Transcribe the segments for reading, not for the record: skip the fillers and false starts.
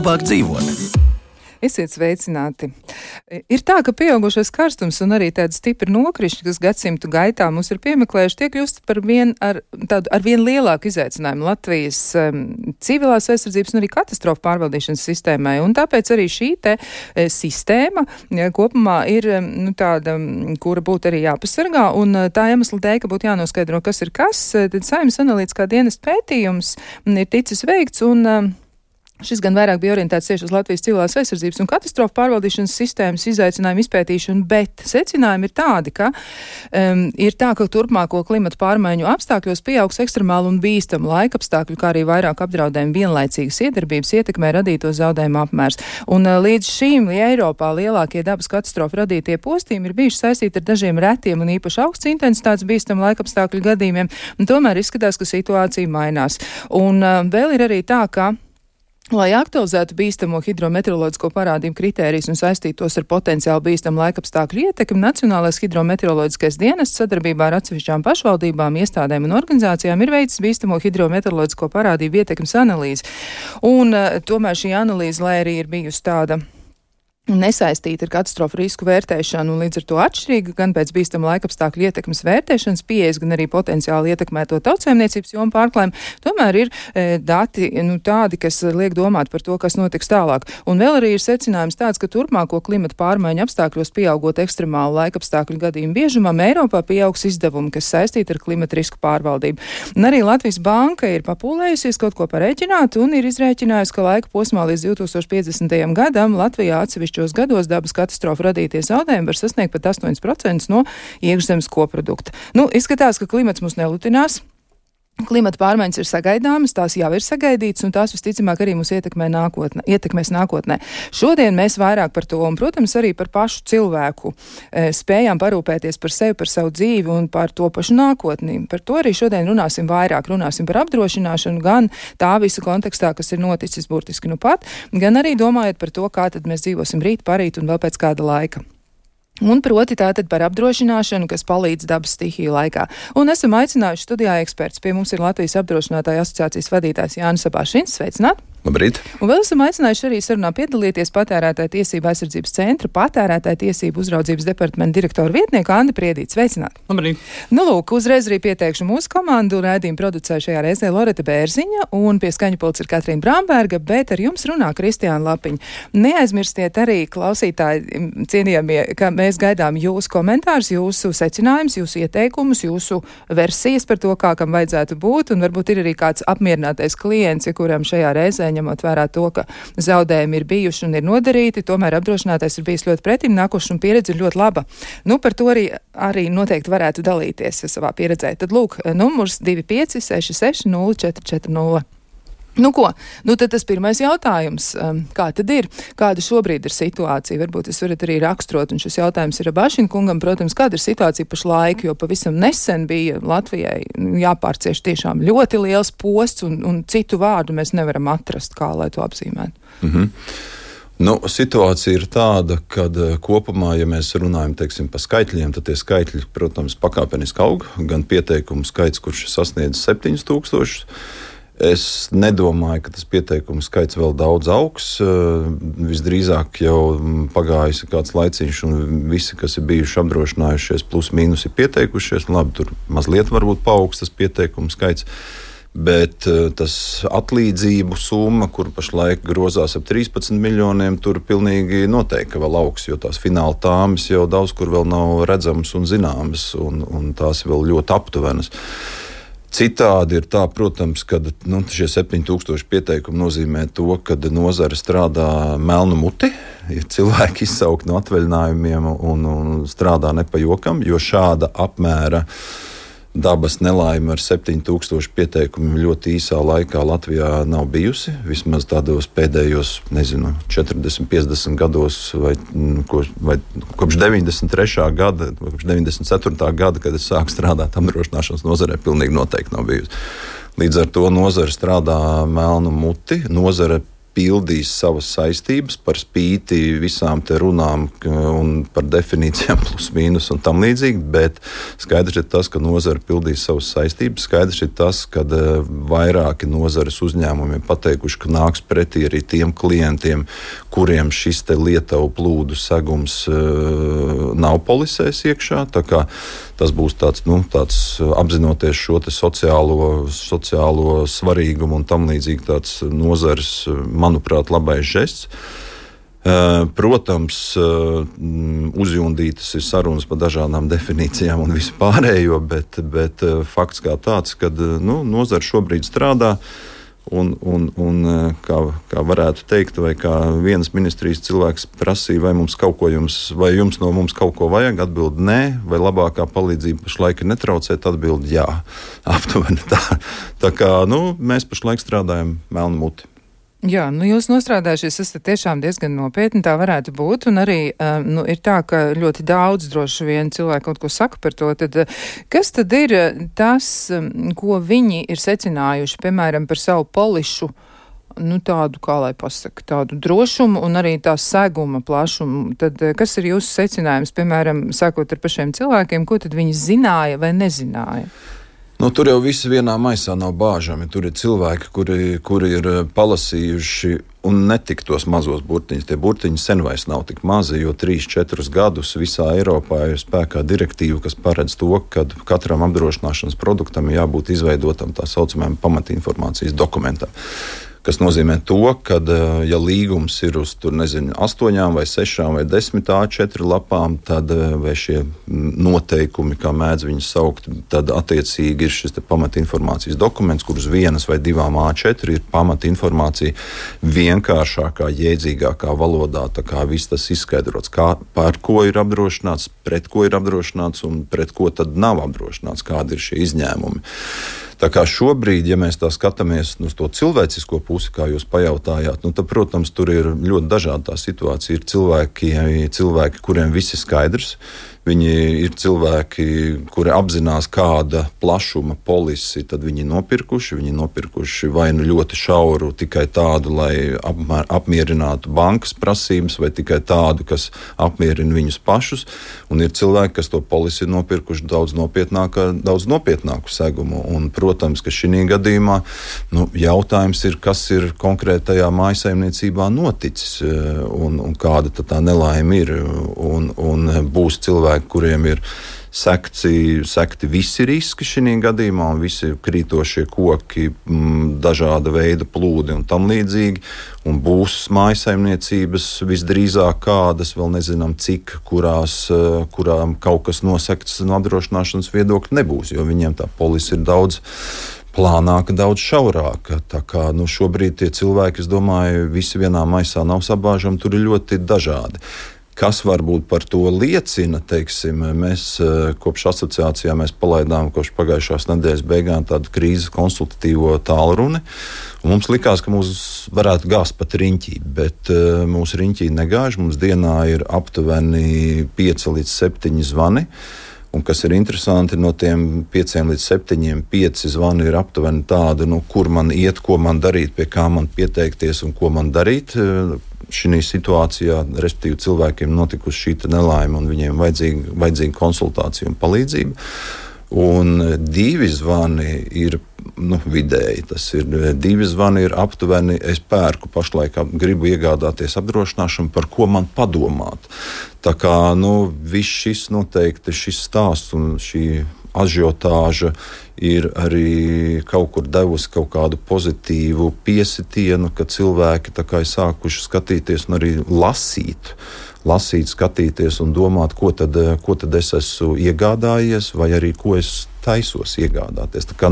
labāk dzīvot. Esiet sveicināti. Ir tā, ka pieaugušais karstums un arī tādi stipri nokrišņi, kas gadsimtu gaitā mums ir piemeklējuši, tiek kļūst par ar vien lielāku izaicinājumu Latvijas civilās aizsardzības un arī katastrofu pārvaldīšanas sistēmai. Un tāpēc arī šī te sistēma kopumā ir tāda, kura būtu arī jāpasargā. Un tā iemesla dēļ, ka būtu jānoskaidro, kas ir kas, tad Saeimas analītiskā dienesta pētījums ir ticis veikts un šis gan vairāk bija orientēts tieši uz Latvijas civilās aizsardzības un katastrofu pārvaldīšanas sistēmas izaicinājumu izpētīšanu, bet secinājumi ir tādi, ka ka turpmāko klimata pārmaiņu apstākļos pieaugs ekstremāli un bīstamu laikapstākļu, kā arī vairāk apdraudējumu vienlaicīgas iedarbības ietekmē radīto zaudējumu apmērs. Un līdz šīm Eiropā lielākie dabas katastrofu radītie postījumi ir bijuši saistīti ar dažiem retiem un īpaši augsts intensitātes bīstamu laikapstākļu gadījumiem, un tomēr izskatās, ka situācija mainās. Un vēl ir arī tā, ka lai aktualizētu bīstamo hidrometeoroloģisko parādību kritērijus un saistītos ar potenciāli bīstamu laikapstākļu ietekmi, Nacionālais hidrometeoroloģiskais dienests sadarbībā ar atsevišķām pašvaldībām, iestādēm un organizācijām ir veicis bīstamo hidrometeoroloģisko parādību ietekmes analīzi. Un tomēr šī analīze, lai arī ir bijusi tāda nesaistīta ar katastrofu risku vērtēšanu un līdz ar to atšķirīga gan pēc bīstama laikapstākļu ietekmes vērtēšanas pieejas, gan arī potenciāli ietekmēto tautsēmniecības jomu pārklājumu, tomēr ir dati tādi, kas liek domāt par to, kas notiks tālāk. Un vēl arī ir secinājums tāds, ka turpmāko klimata pārmaiņu apstākļos pieaugot ekstremālu laikapstākļu gadījumu biežumam, Eiropā pieaugs izdevumi, kas saistīti ar klimata risku pārvaldību. Un arī Latvijas banka ir papūlējusies kaut ko parēķināt un ir izrēķinājusi, ka laika posmā līdz 2050. gadam Latvijā atsevišķos gados dabas katastrofu radītie zaudējumi var sasniegt pat 8% no iekšzemes koprodukta. Izskatās, ka klimats mūs nelutinās. Klimata pārmaiņas ir sagaidāmas, tās jau ir sagaidītas, un tās visticamāk arī mūs ietekmēs nākotnē. Šodien mēs vairāk par to, un, protams, arī par pašu cilvēku spējām parūpēties par sevi, par savu dzīvi un par to pašu nākotni. Par to arī šodien runāsim vairāk. Runāsim par apdrošināšanu, gan tā visa kontekstā, kas ir noticis burtiski pat, gan arī domājot par to, kā tad mēs dzīvosim rīt, parīt un vēl pēc kāda laika. Un proti tātad par apdrošināšanu, kas palīdz dabas stihiju laikā. Un esam aicinājuši studijā eksperts. Pie mums ir Latvijas apdrošinātāju asociācijas vadītājs Jānis Sabāšins. Sveicināt! Labrīt! Un vēl esam aicinājuši arī sarunā piedalīties Patērētāju tiesību aizsardzības centra Patērētāju tiesību uzraudzības departamenta direktora vietnieku Andi Priedīti. Sveicināt! Labrīt! Lūk, uzreiz arī pieteikšu mūsu komandu. Raidījumu producēja šajā reizē Loreta Bērziņa un pie skaņu pults ir Katrīna Bramberga, bet ar jums runā Kristiāna Lapiņa. Neaizmirstiet arī, klausītāji, cienījamie, ka mēs gaidām jūsu komentārus, jūsu secinājumus, jūsu ieteikumus, jūsu versijas par to, kā kam vajadzētu būt, un varbūt ir arī kāds apmierinātais klients, kuram šajā reizē, ņemot vērā to, ka zaudējumi ir bijuši un ir nodarīti, tomēr apdrošinātais ir bijis ļoti pretim nākošs un pieredze ir ļoti laba. Par to arī noteikti varētu dalīties savā pieredzē. Tad lūk, numurs 2566 0440. Tad tas pirmais jautājums. Kā tad ir? Kāda šobrīd ir situācija? Varbūt jūs varat arī raksturot, un šis jautājums ir Bašina kungam, protams, kāda ir situācija pašlaik, jo pavisam nesen bija Latvijai jāpārcieš tiešām ļoti liels posts, un citu vārdu mēs nevaram atrast, kā lai to apzīmētu. Situācija ir tāda, ka kopumā, ja mēs runājam par skaitļiem, tad tie skaitļi, protams, pakāpeniski aug. Gan pieteikumu skaits, kurš sasniedz 7000. Es nedomāju, ka tas pieteikumu skaits vēl daudz augs. Visdrīzāk jau pagājis kāds laiciņš, un visi, kas ir bijuši apdrošinājušies, plus mīnus ir pieteikušies. Labi, tur mazliet varbūt paaugs tas pieteikumu skaits. Bet tas atlīdzību summa, kur pašlaik grozās ap 13 miljoniem, tur pilnīgi noteikti vēl augs, jo tās fināla tāmas jau daudz kur vēl nav redzamas un zināmas, un tās vēl ļoti aptuvenas. Citādi ir tā, protams, ka šie 7000 pieteikumi nozīmē to, ka nozare strādā melnu muti, ir cilvēki izsaukti no atvaļinājumiem un strādā nepajokam, jo šāda apmēra dabas nelaime ar 7000 pieteikumiem ļoti īsā laikā Latvijā nav bijusi. Vismaz tādos pēdējos, 40, 50 gados vai kopš 93. gada, kopš 94. gada, kad es sāku strādāt apdrošināšanas nozarē, pilnīgi noteikti nav bijusi. Līdz ar to nozare strādā melnu muti. Nozare pildīs savas saistības par spīti visām te runām un par definīcijām plus mīnus un tam līdzīgi, bet skaidrs ir tas, ka nozara pildīs savas saistības. Skaidrs ir tas, ka vairāki nozares uzņēmumi ir pateikuši, ka nāks pretī arī tiem klientiem, kuriem šis te Lietuvu plūdu segums nav polisēs iekšā. Tā kā tas būs tāds apzinoties šo te sociālo svarīgumu un tam līdzīgi tāds nozares, manuprāt, labais žests. Protams, uzjundītas ir sarunas par dažādām definīcijām un visu pārējo, bet fakts kā tāds, ka nozara šobrīd strādā un kā varētu teikt, vai kā vienas ministrijas cilvēks prasīja, vai jums no mums kaut ko vajag, atbild nē, vai labākā palīdzība pašlaik ir netraucēt, atbild jā, aptuveni tā. Tā kā, mēs pašlaik strādājam melnu muti. Jā, jūs nostrādājušies, esat tiešām diezgan nopietni, tā varētu būt, un arī ir tā, ka ļoti daudz droši vien cilvēki kaut ko saka par to, tad kas tad ir tas, ko viņi ir secinājuši, piemēram, par savu polišu, tādu, kā lai pasaka, tādu drošumu un arī tā seguma plašumu, tad kas ir jūsu secinājums, piemēram, sākot ar pašiem cilvēkiem, ko tad viņi zināja vai nezināja? Tur jau visi vienā maisā nav bāžami. Tur ir cilvēki, kuri ir palasījuši un netik tos mazos burtiņus. Tie burtiņi sen vairs nav tik mazi, jo 3-4 gadus visā Eiropā ir spēkā direktīva, kas paredz to, ka katram apdrošināšanas produktam ir jābūt izveidotam tā saucamajam pamatinformācijas dokumentam. Kas nozīmē to, ka, ja līgums ir uz 8 vai 6 vai 10 A4 lapām, tad vai šie noteikumi, kā mēdz viņus saukt, tad attiecīgi ir šis pamatinformācijas dokuments, kur uz 1 vai 2 A4 ir pamatinformācija vienkāršākā, jēdzīgākā valodā. Tā kā viss tas izskaidrots, par ko ir apdrošināts, pret ko ir apdrošināts un pret ko tad nav apdrošināts, kādi ir šie izņēmumi. Tā kā šobrīd, ja mēs tā skatāmies uz to cilvēcisko pusi, kā jūs pajautājāt, tad, protams, tur ir ļoti dažāda tā situācija. Ir cilvēki, kuriem viss ir skaidrs. Viņi ir cilvēki, kuri apzinās, kāda plašuma polisi tad viņi nopirkuši. Viņi nopirkuši vai ļoti šauru, tikai tādu, lai apmierinātu bankas prasības, vai tikai tādu, kas apmierina viņus pašus. Un ir cilvēki, kas to polisi ir nopirkuši daudz nopietnāku segumu. Un, protams, ka šī gadījumā jautājums ir, kas ir konkrētajā mājsaimniecībā noticis un kāda tā nelaime ir. Un būs cilvēki, kuriem ir sekti visi riski šī gadījumā, un visi krītošie koki, dažāda veida plūdi un tam līdzīgi. Un būs mājasaimniecības visdrīzāk kādas, vēl nezinām cik, kurām kaut kas nosekts no apdrošināšanas viedokļa nebūs, jo viņiem tā polise ir daudz plānāka, daudz šaurāka. Tā kā šobrīd tie cilvēki, es domāju, visi vienā maisā nav sabāžami, tur ir ļoti dažādi. Kas varbūt par to liecina, teiksim, mēs kopš asociācijā palaidām kopš pagājušās nedēļas beigām tādu krīzes konsultatīvo tālruni. Mums likās, ka mūs varētu gāzt pat riņķī, bet mūsu riņķī negāž. Mums dienā ir aptuveni 5 līdz 7 zvani. Un kas ir interesanti, no tiem 5 līdz 7, 5 zvani ir aptuveni tādi, kur man iet, ko man darīt, pie kā man pieteikties un ko man darīt. Šī situācijā, respektīvi, cilvēkiem notikusi šī nelaime un viņiem vajadzīga konsultācija un palīdzība. Un 2 zvani ir vidēji. Tas ir 2 zvani ir aptuveni. Es pērku pašlaik, gribu iegādāties apdrošināšanu, par ko man padomāt. Tā kā viss šis noteikti, šis stāsts un šī ažiotāža ir arī kaut kur devusi kaut kādu pozitīvu piesitienu, ka cilvēki tā kā ir sākuši skatīties un arī lasīt, skatīties un domāt, ko tad es esmu iegādājies vai arī ko es taisos iegādāties. Tā kā,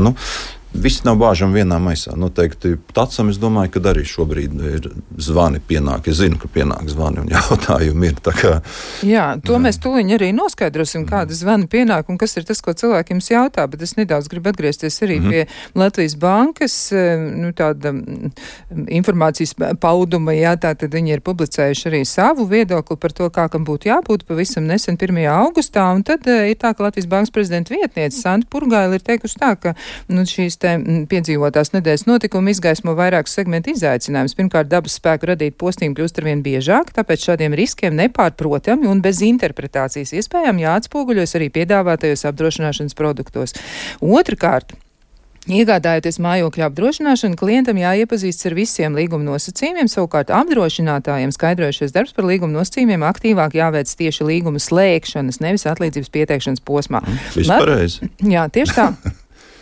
viss nav bāžami vienā maisā. Noteikti tacam, es domāju, ka arī šobrīd ir zvani pienāk. Es zinu, ka pienāk zvani un jautājumi ir. Jā, to mēs tūliņ arī noskaidrosim, kāda zvani pienāk un kas ir tas, ko cilvēki jums jautā, bet es nedaudz gribu atgriezties arī pie Latvijas bankas, tāda informācijas pauduma, tātad viņi ir publicējuši arī savu viedokli par to, kā kam būtu jābūt pavisam nesen 1. augustā, un tad ir tā, ka Latvijas bankas prezidenta vietniece Santa Purgaila ir teikusi tā, ka šīs te piedzīvotās nedēļas notikumi izgaismo vairākus segmentu izaicinājumus. Pirmkārt, dabas spēku radīt postījumu kļūst arvien biežāk, tāpēc šādiem riskiem nepārprotami un bez interpretācijas iespējām jāatspoguļojas arī piedāvātajos apdrošināšanas produktos. Otrakārt, iegādājoties mājokļa apdrošināšanu, klientam jāiepazīstas ar visiem līguma nosacījumiem, savukārt apdrošinātājiem skaidrojušies darbs par līguma nosacījumiem aktīvāk jāveic tieši līguma slēgšanas, nevis atlīdzības pieteikšanas posmā. Vispārreizi. Jā, tieši tā.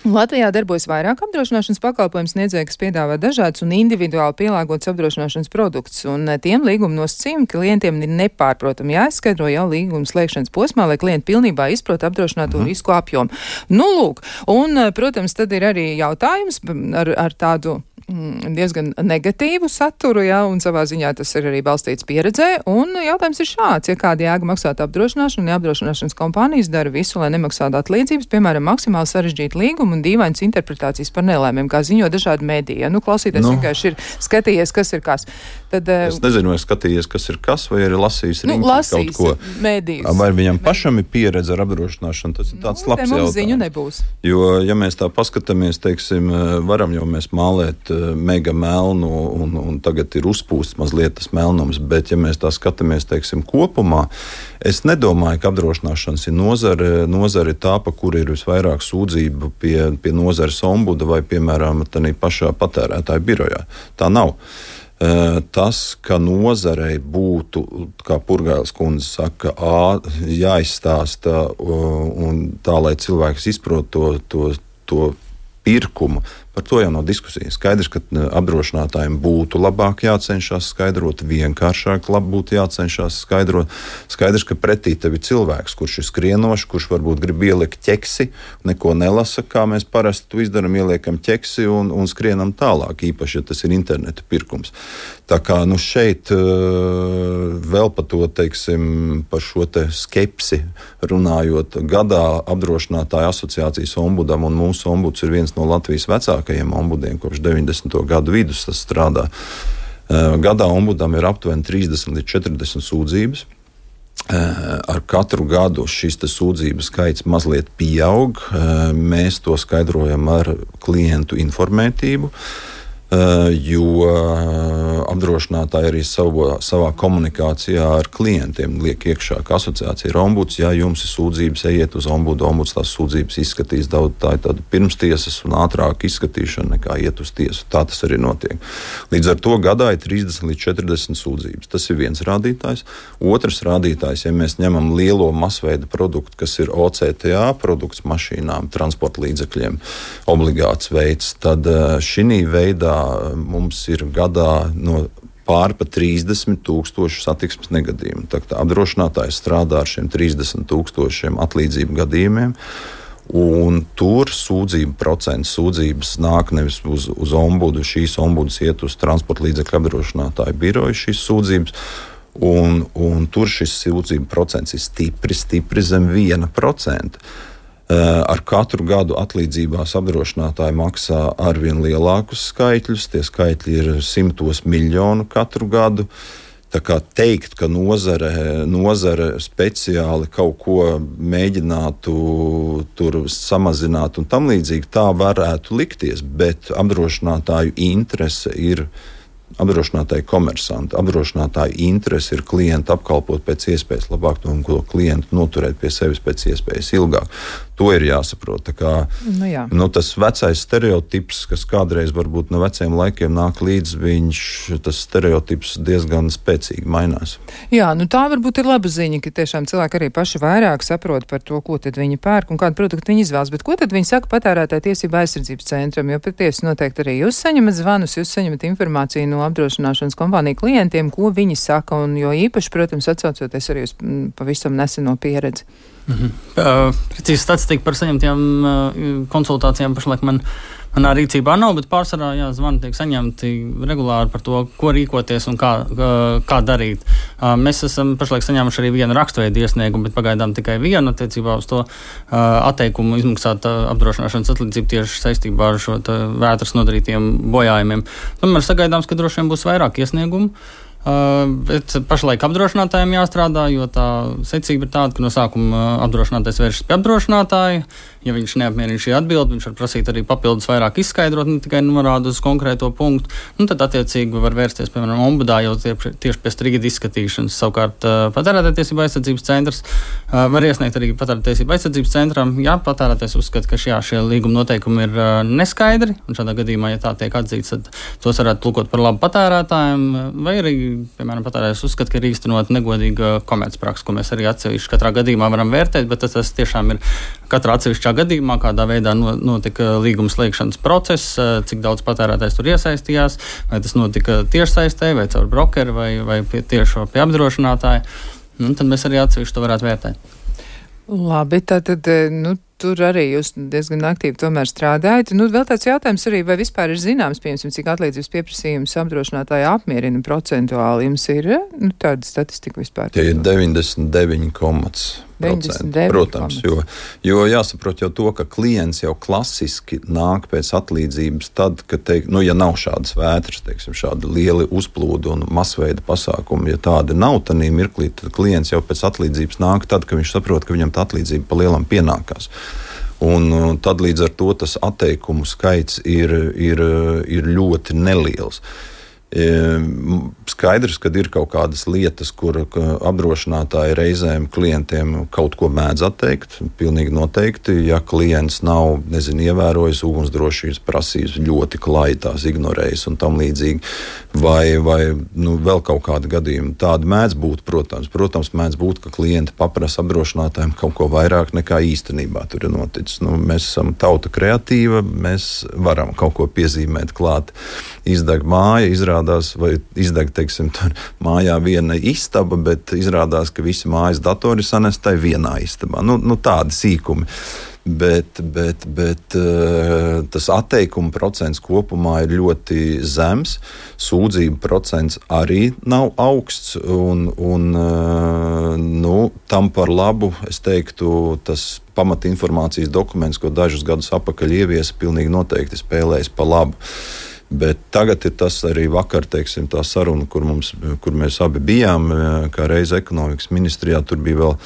Latvijā darbojas vairāk apdrošināšanas pakalpojumu sniedzēji, kas piedāvā dažādus un individuāli pielāgotus apdrošināšanas produktus, un tiem līguma nosacījumi klientiem ir nepārprotami jāizskaidro jau līguma slēgšanas posmā, lai klienti pilnībā izprot apdrošināto risku apjomu. Nu, lūk, un, protams, tad ir arī jautājums ar tādu diezgan negatīvu saturu, jā, un savā ziņā tas ir arī balstīts pieredzē, un jautājums ir šāds, ja kāda jēga maksāt apdrošināšanu, ja apdrošināšanas kompānijas dara visu, lai nemaksātu atlīdzības, piemēram, maksimāli sarežģītu līgumu un dīvainas interpretācijas par nelēmēm, kā ziņo dažādi mediji. Ja? Nu, klausīties vienkārši ir skatījies, kas ir kas. Tad, es nezinu, vai skatījies, kas ir kas, vai arī lasījis riņķi kaut ko. Medijus. Vai viņam pašam ir pieredze ar apdrošināšanu, tas ir tāds labs jautājums. Ziņu nebūs. Jo, ja mēs tā paskatāmies, teiksim, varam jau mēs mālēt mega melnu un tagad ir uzpūsts mazliet tas melnums, bet ja mēs tā skatāmies, teiksim, kopumā, es nedomāju, ka apdrošināšanas ir nozare tā, pa kuru ir visvairāk sūdzību pie nozares ombuda vai, piemēram, tādā pašā patērētāja birojā. Tā nav. Tas, ka nozarei būtu, kā Purgailes kundze saka, jāizstāsta un tā, lai cilvēks izprot to pirkumu, par to jau nav diskusija. Skaidrs, ka apdrošinātājiem būtu labāk jācenšas skaidrot, vienkāršāk būtu jācenšas skaidrot. Skaidrs, ka pretī tev ir cilvēks, kurš ir skrienošs, kurš varbūt grib ielikt ķeksi, neko nelasa, kā mēs parasti to izdaram, ieliekam ķeksi un skrienam tālāk, īpaši, ja tas ir interneta pirkums. Tā kā šeit vēl par to, teiksim, par šo te skepsi runājot, gadā apdrošinātāju asociācijas ombudam, un mūsu ombuds ir viens no Latvijas vecākajiem ombudiem, kopš 90. gadu vidus tas strādā. Gadā ombudam ir aptuveni 30 līdz 40 sūdzības. Ar katru gadu šis sūdzību skaits mazliet pieaug. Mēs to skaidrojam ar klientu informētību, jo apdrošinātāji arī savā komunikācijā ar klientiem liek iekšā, ka asociācija ir ombuds. Ja jums ir sūdzības, ejiet uz ombudu, ombuds tās sūdzības izskatīs daudz, tā ir tāda pirmstiesas un ātrāka izskatīšana nekā iet uz tiesu. Tā tas arī notiek. Līdz ar to gadā ir 30 līdz 40 sūdzības. Tas ir viens rādītājs. Otrs rādītājs, ja mēs ņemam lielo masveida produktu, kas ir OCTA produkts mašīnām, transporta līdzekļiem, obligāts veids, tad šī veidā mums ir gadā pār pa 30,000 satiksmes negadījumu. Tā apdrošinātājs strādā ar šiem 30,000 atlīdzību gadījumiem, un tur sūdzības nāk nevis uz ombudu, šīs ombudas iet uz transporta līdzekļu apdrošinātāju biroju, šīs sūdzības, un tur šis sūdzību procents ir stipri zem 1%. Ar katru gadu atlīdzībās apdrošinātāji maksā arvien lielākus skaitļus. Tie skaitļi ir 100 miljonu katru gadu. Tā kā teikt, ka nozare speciāli kaut ko mēģinātu tur samazināt un tam līdzīgi, tā varētu likties, bet apdrošinātāju interese ir apdrošinātāji komersanti. Apdrošinātāji interese ir klientu apkalpot pēc iespējas labāk un klientu noturēt pie sevis pēc iespējas ilgāk. To ir jāsaprot. Tā kā, tas vecais stereotips, kas kādreiz varbūt no veciem laikiem nāk līdz, tas stereotips diezgan spēcīgi mainās. Jā, tā varbūt ir laba ziņa, ka tiešām cilvēki arī paši vairāk saprot par to, ko tad viņi pērk un kādu produktu viņi izvēlas. Bet ko tad viņi saka patērētāju tiesību aizsardzības centram? Jo patiesi noteikti arī jūs saņemat zvanus, jūs saņemat informāciju no apdrošināšanas kompāniju klientiem, ko viņi saka, un jo īpaši, protams, atsaucoties arī uz pavisam neseno pieredzi. Precīzi statistika par saņemtiem konsultācijām pašlaik manā rīcībā nav, bet pārsvarā zvani tiek saņemti regulāri par to, ko rīkoties un kā darīt. Mēs esam pašlaik saņēmuši arī vienu rakstveidu iesniegumu, bet pagaidām tikai vienu attiecībā uz to atteikumu izmaksāt apdrošināšanas atlīdzību tieši saistībā ar šo vētras nodarītiem bojājumiem. Tomēr sagaidāms, ka droši vien būs vairāk iesniegumu. Bet pašlaik apdrošinātājiem jāstrādā, jo tā secība ir tāda, ka no sākuma apdrošinātājs vēršas pie apdrošinātāja. Ja viņš neapmierina šī atbildi, viņš var prasīt arī papildus vairāk izskaidrot, ne tikai norādu uz konkrēto punktu. Tad attiecīgi var vērsties, piemēram, ombudā jau tieši pie strīda izskatīšanas. Savukārt patērētāju aizsardzības centrs var iesniegt arī patērētāju aizsardzības centram, ja patērētājs uzskata, ka šie līguma noteikumi ir neskaidri, un šādā gadījumā, ja tā tiek atzīts, tad tos varētu tulkot par labu patērētājiem, vai arī, piemēram, patērētājs uzskata, ka ir īstenot negodīga komercprakse, ko mēs arī atsevišķi katrā gadījumā varam vērtēt, bet tas tiešām ir katrā atsevišķā gadījumā, kādā veidā notika līguma slēgšanas process, cik daudz patērētājs tur iesaistījās, vai tas notika tiešsaistē, vai caur brokeri, vai tieši pie apdrošinātāja. Tad mēs arī atsevišķi to varētu vērtēt. Labi, tātad, tur arī jūs diezgan aktīvi tomēr strādājat. Vēl tāds jautājums arī, vai vispār ir zināms, piemēram, cik atlīdzības pieprasījums apdrošinātāji apmierina procentuāli? Jums ir tāda statistika vispār? Tie ir 99,% protams, jo jāsaprot jau to, ka klients jau klasiski nāk pēc atlīdzības tad, kad, ja nav šādas vētras, šādi lieli uzplūdi un masveida pasākumi, ja tādi nav tanī mirklī, tad klients jau pēc atlīdzības nāk tad, kad viņš saprot, ka viņam tā atlīdzība pa lielam pienākās. Un tad līdz ar to tas atteikumu skaits ir ļoti neliels. Skaidrs, ka ir kaut kādas lietas, kur apdrošinātāji reizēm klientiem kaut ko mēdz atteikt. Pilnīgi noteikti, ja klients nav, ievērojis ugunsdrošības prasības, ļoti klāji tās ignorējis un tam līdzīgi, vai vēl kaut kādi gadījumi. Tādi mēdz būt, protams. Protams, mēdz būt, ka klienti paprasa apdrošinātājiem kaut ko vairāk nekā īstenībā tur ir noticis. Mēs esam tauta kreatīva, mēs varam kaut ko piezīmēt klāt. Izdeg māja, vai izdeg, tur mājā viena istaba, bet izrādās, ka visi mājas datori sanestai vienā istabā. Tādi sīkumi. Bet tas atteikuma procents kopumā ir ļoti zems, sūdzību procents arī nav augsts, un tam par labu, es teiktu, tas pamatinformācijas dokuments, ko dažus gadus atpakaļ ieviesa, pilnīgi noteikti spēlējas pa labu. Bet tagad ir tas arī vakar, tā saruna, kur mēs abi bijām, kā reiz ekonomikas ministrijā, tur bija vēl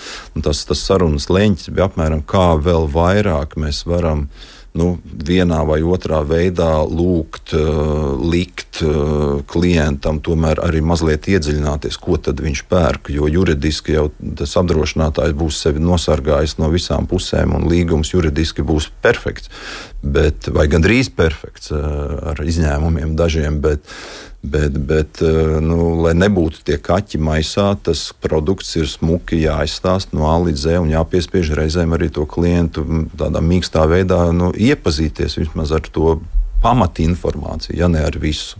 tas sarunas leņķis, bija apmēram kā vēl vairāk mēs varam vienā vai otrā veidā likt klientam tomēr arī mazliet iedziļināties, ko tad viņš pērk, jo juridiski jau tas apdrošinātājs būs sevi nosargājis no visām pusēm un līgums juridiski būs perfekts, vai gandrīz perfekts ar izņēmumiem dažiem, bet lai nebūtu tie kaķi maisā, tas produkts ir smuki jāizstāst no A līdz Z un jāpiespiež reizēm arī to klientu tādā mīkstā veidā iepazīties vismaz ar to pamatinformāciju, ja ne ar visu.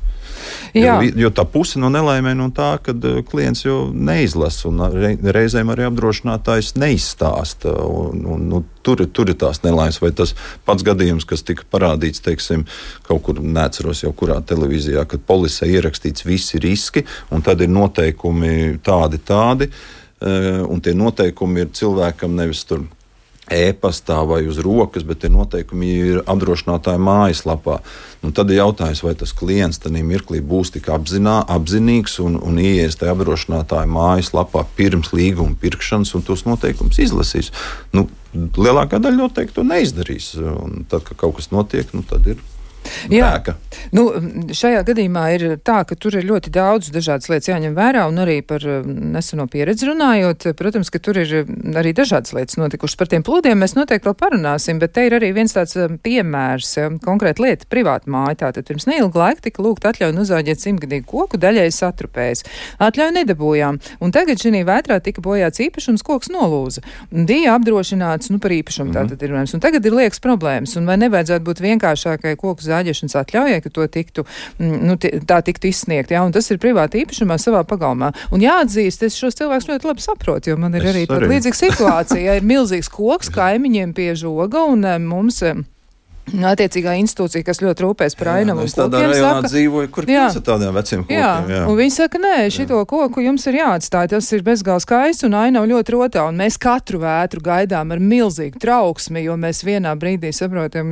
Jo tā puse no nelaimē no tā, kad klients jau neizlasa un reizēm arī apdrošinātājs neizstāsta. Tur ir tās nelaimes, vai tas pats gadījums, kas tika parādīts, kaut kur, neatceros jau kurā televīzijā, kad polisē ierakstīts visi riski, un tad ir noteikumi tādi, un tie noteikumi ir cilvēkam nevis tur e-pastā vai uz rokas, bet tie noteikumi ir apdrošinātāja mājaslapā. Tad ir jautājums, vai tas klients tajā mirklī būs tik apzinīgs un ieies tajā apdrošinātāja mājaslapā pirms līguma pirkšanas un tos noteikumus izlasīs. Lielākā daļa noteikti to neizdarīs. Un tad, kad kaut kas notiek, tad ir bēka. Šajā gadījumā ir tā, ka tur ir ļoti daudz dažādas lietas jāņem vērā, un arī par neseno pieredzi runājot, protams, ka tur ir arī dažādas lietas notikušas. Par tiem plūdiem mēs noteikti vēl parunāsim, bet te ir arī viens tāds piemērs, konkrēta lieta, privāta māja. Tātad pirms neilga laika tika lūgta atļauja nozāģēt 100-gadīgu koku, daļēji satrupējis. Atļauju nedabūjām, un tagad šī vētrā tika bojāts īpašums, koks nolūza. Bija apdrošināts par īpašumu, tātad ir runājums. Un tagad ir liekas problēmas, un vai nevajadzētu būt vienkāršākai koku zāģēšanas atļaujai, ka to tiktu, tā tiktu izsniegt, un tas ir privāti īpašumā savā pagalmā. Un jāatzīst, es šos cilvēkus ļoti labi saprotu, jo man ir arī tāda līdzīga situācija. Ir milzīgs koks kaimiņiem pie žoga, un mums attiecīgā institūcija, kas ļoti rūpēs par ainavu un kokiem, tādā rajonā dzīvoju, kur pēc tādiem veciem kokiem. Jā, un viņi saka, nē, šito koku jums ir jāatstāj, tas ir bezgalīgi skaists un ainavu ļoti rotā, un mēs katru vētru gaidām ar milzīgu trauksmi, jo mēs vienā brīdī saprotam,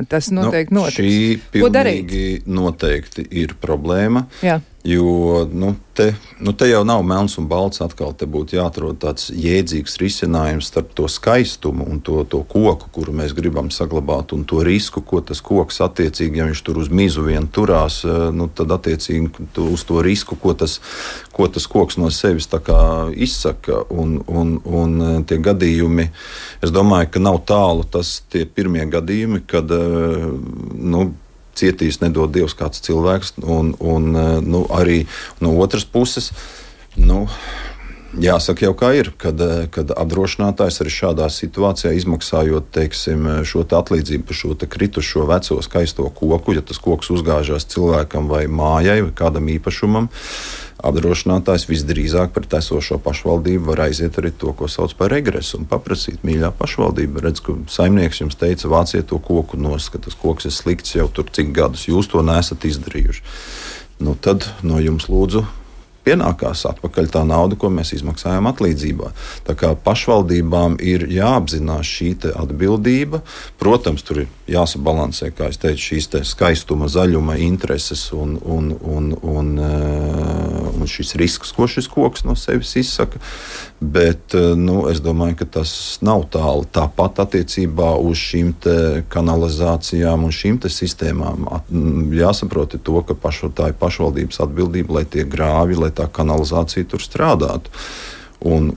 tas noteikti notiks. Šī pilnīgi noteikti ir problēma. Jo te jau nav melns un balts. Atkal te būtu jāatrod tāds jēdzīgs risinājums starp to skaistumu un to koku, kuru mēs gribam saglabāt, un to risku, ko tas koks attiecīgi, ja viņš tur uz mizu vien turās, tad attiecīgi uz to risku, ko tas koks no sevis tā kā izsaka. Un tie gadījumi, es domāju, ka nav tālu tie pirmie gadījumi, kad cietīs nedod Dievs kāds cilvēks, un arī no otras puses, jāsaka jau kā ir, kad apdrošinātājs arī šādā situācijā izmaksājot, teiksim, šo atlīdzību par šo kritušo veco skaisto koku, ja tas koks uzgāžās cilvēkam vai mājai vai kādam īpašumam, apdrošinātājs visdrīzāk pret esošo pašvaldību var aiziet arī to, ko sauc par regresu, un paprasīt: mīļā pašvaldība, redz, ka saimnieks jums teica, vāciet to koku nost, ka tas koks ir slikts jau tur cik gadus, jūs to neesat izdarījuši. Tad no jums lūdzu pienākās atpakaļ tā nauda, ko mēs izmaksājām atlīdzībā. Tā kā pašvaldībām ir jāapzinās šī atbildība. Protams, tur ir jāsabalansē, kā es teicu, šīs skaistuma, zaļuma intereses un šis risks, ko šis koks no sevis izsaka. Bet es domāju, ka tas nav tālu. Tāpat attiecībā uz šīm kanalizācijām un šīm sistēmām jāsaprot to, ka tā ir pašvaldības atbildība, lai tie grāvi, lai tā kanalizācija tur strādātu. Un,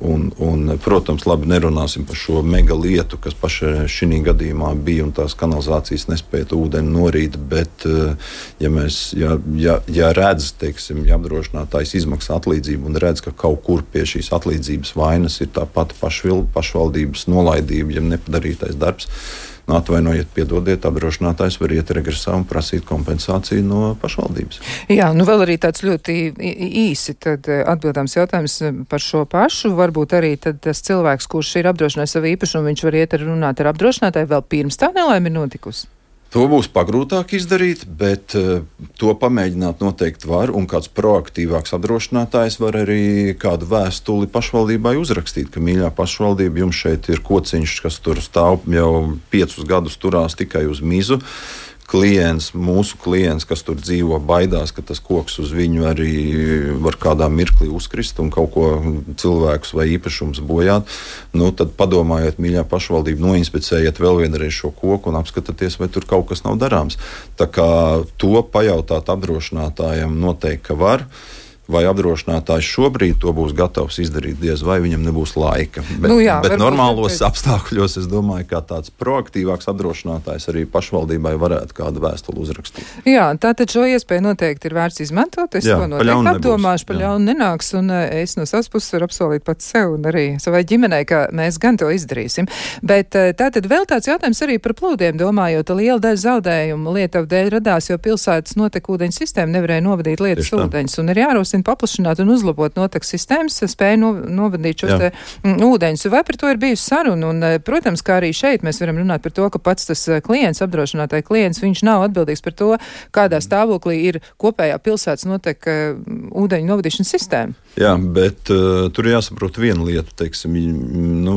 protams, labi, nerunāsim par šo mega lietu, kas pašai šī gadījumā bija, un tās kanalizācijas nespēja ūdeni norīt, bet ja redz, teiksim, ja apdrošinātājs izmaksā atlīdzību un redz, ka kaut kur pie šīs atlīdzības vainas ir tā pati pašvaldības nolaidība, ja nepadarītais darbs, atvainojiet, piedodiet, apdrošinātājs var iet regresā un prasīt kompensāciju no pašvaldības. Jā, vēl arī tāds ļoti īsi tad atbildāms jautājums par šo pašu. Varbūt arī tad tas cilvēks, kurš ir apdrošinājis savu īpašumu, viņš var iet runāt ar apdrošinātāju vēl pirms tā nelaime ir notikusi? To būs pagrūtāk izdarīt, bet to pamēģināt noteikti var, un kāds proaktīvāks apdrošinātājs var arī kādu vēstuli pašvaldībai uzrakstīt, ka mīļā pašvaldība, jums šeit ir kociņš, kas tur stāv jau 5 gadus turās tikai uz mizu. Mūsu klients, kas tur dzīvo, baidās, ka tas koks uz viņu arī var kādā mirklī uzkrist un kaut ko cilvēkus vai īpašums bojāt. Tad padomājiet, mīļā pašvaldība, noinspicējiet vēl vienreiz šo koku un apskatieties, vai tur kaut kas nav darāms. Tā kā to pajautāt apdrošinātājam noteikti, ka var. Vai apdrošinātājs šobrīd to būs gatavs izdarīt, diez vai viņam nebūs laika. Bet normālos apstākļos, es domāju, ka tāds proaktīvāks apdrošinātājs arī pašvaldībai varētu kādu vēstuli uzrakstīt. Jā, tātad šo iespēju noteikti ir vērts izmantot. Es to noteikti apdomāšu, pa ļaunu nenāks, un es no savas puses varu apsolīt pats sev un arī savai ģimenei, ka mēs gan to izdarīsim. Bet tātad vēl tāds jautājums arī par plūdiem, domājot, liela daļa zaudējumu Lietuva dēļ radās, jo pilsētas notekūdeņu sistēma nevarēja novadīt lietas ūdeņus, un ir jārosina paplašināt un uzlabot noteku sistēmas, spēju novadīt šos ūdeņus. Vai par to ir bijusi saruna? Un, protams, kā arī šeit mēs varam runāt par to, ka pats tas klients, apdrošinātāja klients, viņš nav atbildīgs par to, kādā stāvoklī ir kopējā pilsētas noteka ūdeņu novadīšanas sistēma. Jā, bet tur jāsaprot viena lieta, teiksim,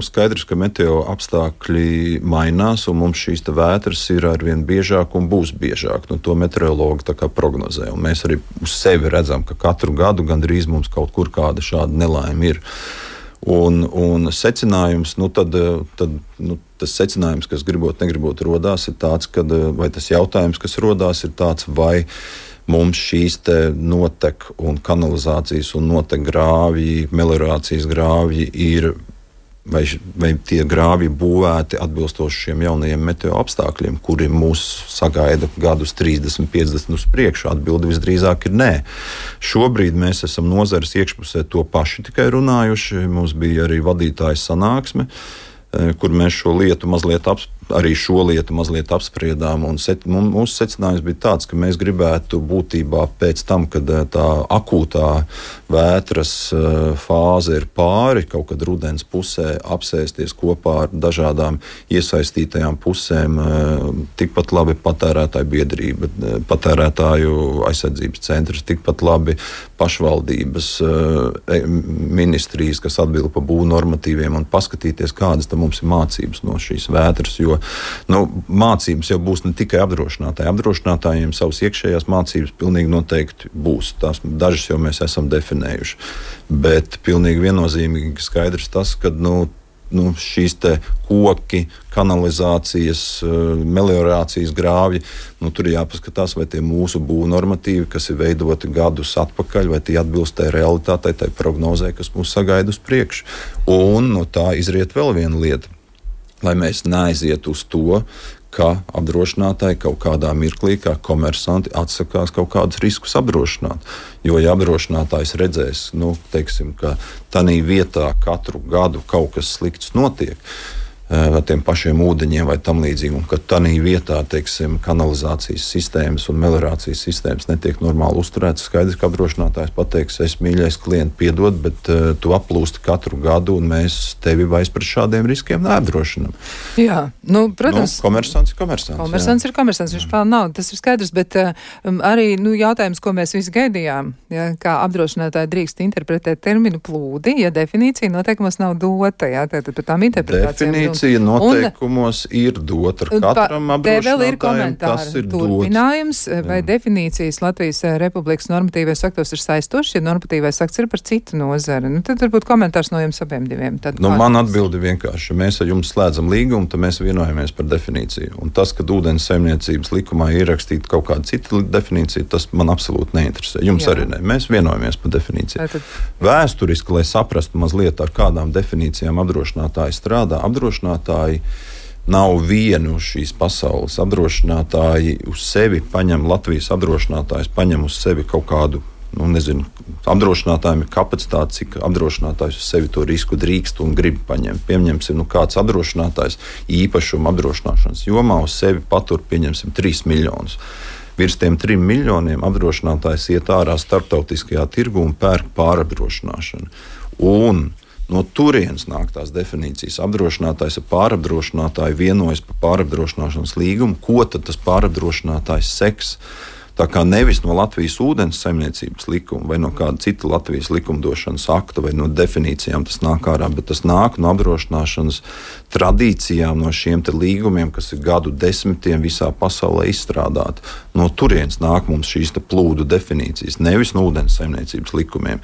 skaidrs, ka meteo apstākļi mainās, un mums šīs vētras ir arvien biežāk un būs biežāk. To meteorologi tā kā prognozē, un mēs arī uz sevi redzam, ka katru gadu gandrīz mums kaut kur kāda šāda nelaime ir. Un secinājums, tas secinājums, kas negribot rodās, ir tāds, vai tas jautājums, kas rodās, ir tāds, vai mums šīs notek un kanalizācijas un notek grāvji, meliorācijas grāvji ir, vai tie grāvji būvēti atbilstoši šiem jaunajiem meteo apstākļiem, kuri mūs sagaida gadus 30, 50 uz priekšu. Atbilde visdrīzāk ir nē. Šobrīd mēs esam nozares iekšpusē to paši tikai runājuši. Mums bija arī vadītāja sanāksme, kur mēs šo lietu mazliet apspriedām. Mūsu secinājums bija tāds, ka mēs gribētu būtībā pēc tam, kad tā akūtā vētras fāze ir pāri, kaut kad rudens pusē apsēsties kopā ar dažādām iesaistītajām pusēm, tikpat labi patērētāju biedrība, patērētāju aizsardzības centrs, tikpat labi pašvaldības ministrijas, kas atbild par būvnormatīviem, un paskatīties, kādas mums ir mācības no šīs vētras, jo jo mācības jau būs ne tikai apdrošinātāji. Apdrošinātājiem savas iekšējās mācības pilnīgi noteikti būs. Tās dažas jau mēs esam definējuši. Bet pilnīgi viennozīmīgi skaidrs tas, ka šīs te koki, kanalizācijas, meliorācijas grāvji, tur ir jāpaskatās, vai tie mūsu būvnormatīvi, kas ir veidoti gadus atpakaļ, vai tie atbilst tai realitātei, tai prognozē, kas mūs sagaida uz priekšu. Un no tā izriet vēl viena lieta, lai mēs neaizietu uz to, ka apdrošinātāji kaut kādā mirklī, kā komersanti, atsakās kaut kādus riskus apdrošināt. Jo, ja apdrošinātājs redzēs, ka tanī vietā katru gadu kaut kas slikts notiek, ar tiem pašiem ūdeņiem vai tam līdzīgi, un ka tanī vietā, kanalizācijas sistēmas un meliorācijas sistēmas netiek normāli uzturētas, skaidrs, ka apdrošinātājs pateiks, es mīļais klienti piedod, bet tu aplūsti katru gadu, un mēs tevi vairs par šādiem riskiem neapdrošinam. Jā, protams. Komersants ir komersants. Komersants ir komersants, viņš pelna naudu, tas ir skaidrs, bet arī, jautājums, ko mēs visi gaidījām, kā apdrošinātāji drīkst interpretēt terminu plūdi, ja definīcija noteikumos nav dota, tātad par tām interpretācijām. Noteikumos ir dota katram apdrošinātājam, tas ir turpinājums, vai definīcijas Latvijas Republikas normatīvais aktos ir saistošs, ja normatīvais akts ir par citu nozari. Tad varbūt komentārs no jums abiem diviem. Man atbildi vienkārši. Mēs ar jums slēdzam līgumu, tad mēs vienojamies par definīciju. Un tas, ka ūdens saimniecības likumā ir ierakstīta kaut kāda cita definīcija, tas man absolūti neinteresē. Jums arī ne. Mēs vienojamies par definīciju. Vēsturiski, lai saprastu mazliet, ar kādām definīcijām apdrošinātāji strādā, apdrošinātāji nav vienu šīs pasaules. Apdrošinātāji uz sevi paņem, Latvijas apdrošinātājs paņem uz sevi kaut kādu, apdrošinātājiem ir kapacitāte, cik apdrošinātājs uz sevi to risku drīkst un grib paņemt. Pieņemsim, kāds apdrošinātājs īpašuma apdrošināšanas jomā uz sevi patur, pieņemsim, 3 miljonus. Virs tiem 3 miljoniem apdrošinātājs iet ārā starptautiskajā tirgu un pērk pārapdrošināšanu. Un no turienes nāk tās definīcijas. Apdrošinātājs ar pārapdrošinātāju vienojas par pārapdrošināšanas līgumu, ko tad tas pārapdrošinātājs seks. Tā kā nevis no Latvijas ūdens saimniecības likuma vai no kāda cita Latvijas likumdošanas akta vai no definīcijām tas nāk ārā, bet tas nāk no apdrošināšanas tradīcijām, no šiem te līgumiem, kas ir gadu desmitiem visā pasaulē izstrādāti. No turienes nāk mums šīs te plūdu definīcijas, nevis no ūdens saimniecības likumiem.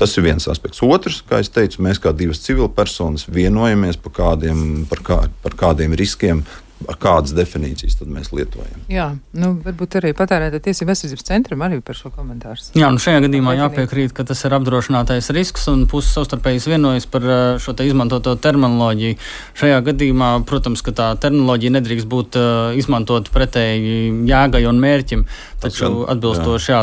Tas ir viens aspekts. Otrs, kā es teicu, mēs kā divas civilpersonas vienojamies par kādiem riskiem, ar kādas definīcijas tad mēs lietojam. Jā, varbūt arī patērētāju tiesību aizsardzības centram arī par šo komentāru. Jā, šajā gadījumā jāpiekrīt, ka tas ir apdrošinātais risks un puses savstarpēji vienojas par šo te izmantoto terminoloģiju. Šajā gadījumā, protams, ka tā terminoloģija nedrīkst būt izmantot pretēji jēgai un mērķim, taču atbilstoši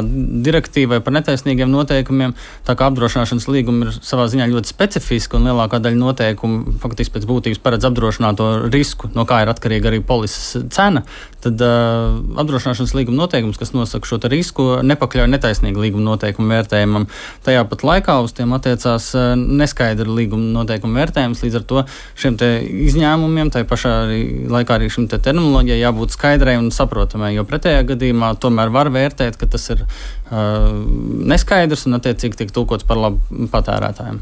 direktīvai par netaisnīgiem noteikumiem, tā kā apdrošināšanas līguma ir savā ziņā ļoti specifiska un lielākā daļa noteikumu faktiski pēc būtības paredz apdrošināto risku, no kā ir atkarīga arī polises cena, tad apdrošināšanas līguma noteikums, kas nosaka šo risku, nepakļauj netaisnīgu līguma noteikumu vērtējumam. Tajā pat laikā uz tiem attiecās neskaidra līguma noteikumu vērtējums, līdz ar to šiem te izņēmumiem, tai pašā laikā arī šim te terminoloģijai jābūt skaidrai un saprotamai, jo pretējā gadījumā tomēr var vērtēt, ka tas ir neskaidrs un attiecīgi tiek tulkots par labu patērētājiem.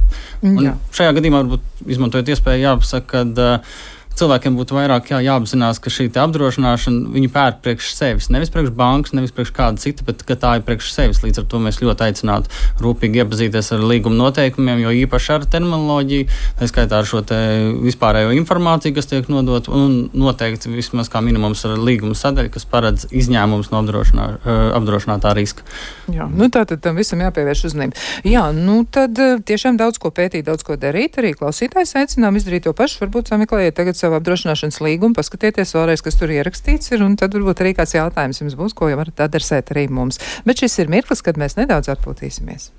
Un šajā gadījumā varbūt izmantojot iespēju jāpasaka, ka cilvēkiem būtu vairāk jāapzinās, ka šī apdrošināšana viņi pērk priekš sevis. Nevis priekš bankas, nevis priekš kāda cita, bet ka tā ir priekš sevis. Līdz ar to mēs ļoti aicinātu rūpīgi iepazīties ar līguma noteikumiem, jo īpaši ar terminoloģiju, tā skaitā ar šo te vispārējo informāciju, kas tiek nodot, un noteikti vismaz kā minimums ar līguma sadaļu, kas paredz izņēmums no apdrošinātā riska. Jā, tātad tam visam jāpievērš uzmanība. Jā, tad tiešām daudz ko pētīt, daudz ko darīt. Arī klausītājs aicinām izdarīt to pašu. Varbūt sameklējiet tagad savu apdrošināšanas līgumu, paskatieties vēlreiz, kas tur ierakstīts ir, un tad varbūt arī kāds jautājums jums būs, ko jau varat adresēt arī mums. Bet šis ir mirklis, kad mēs nedaudz atpūtīsimies.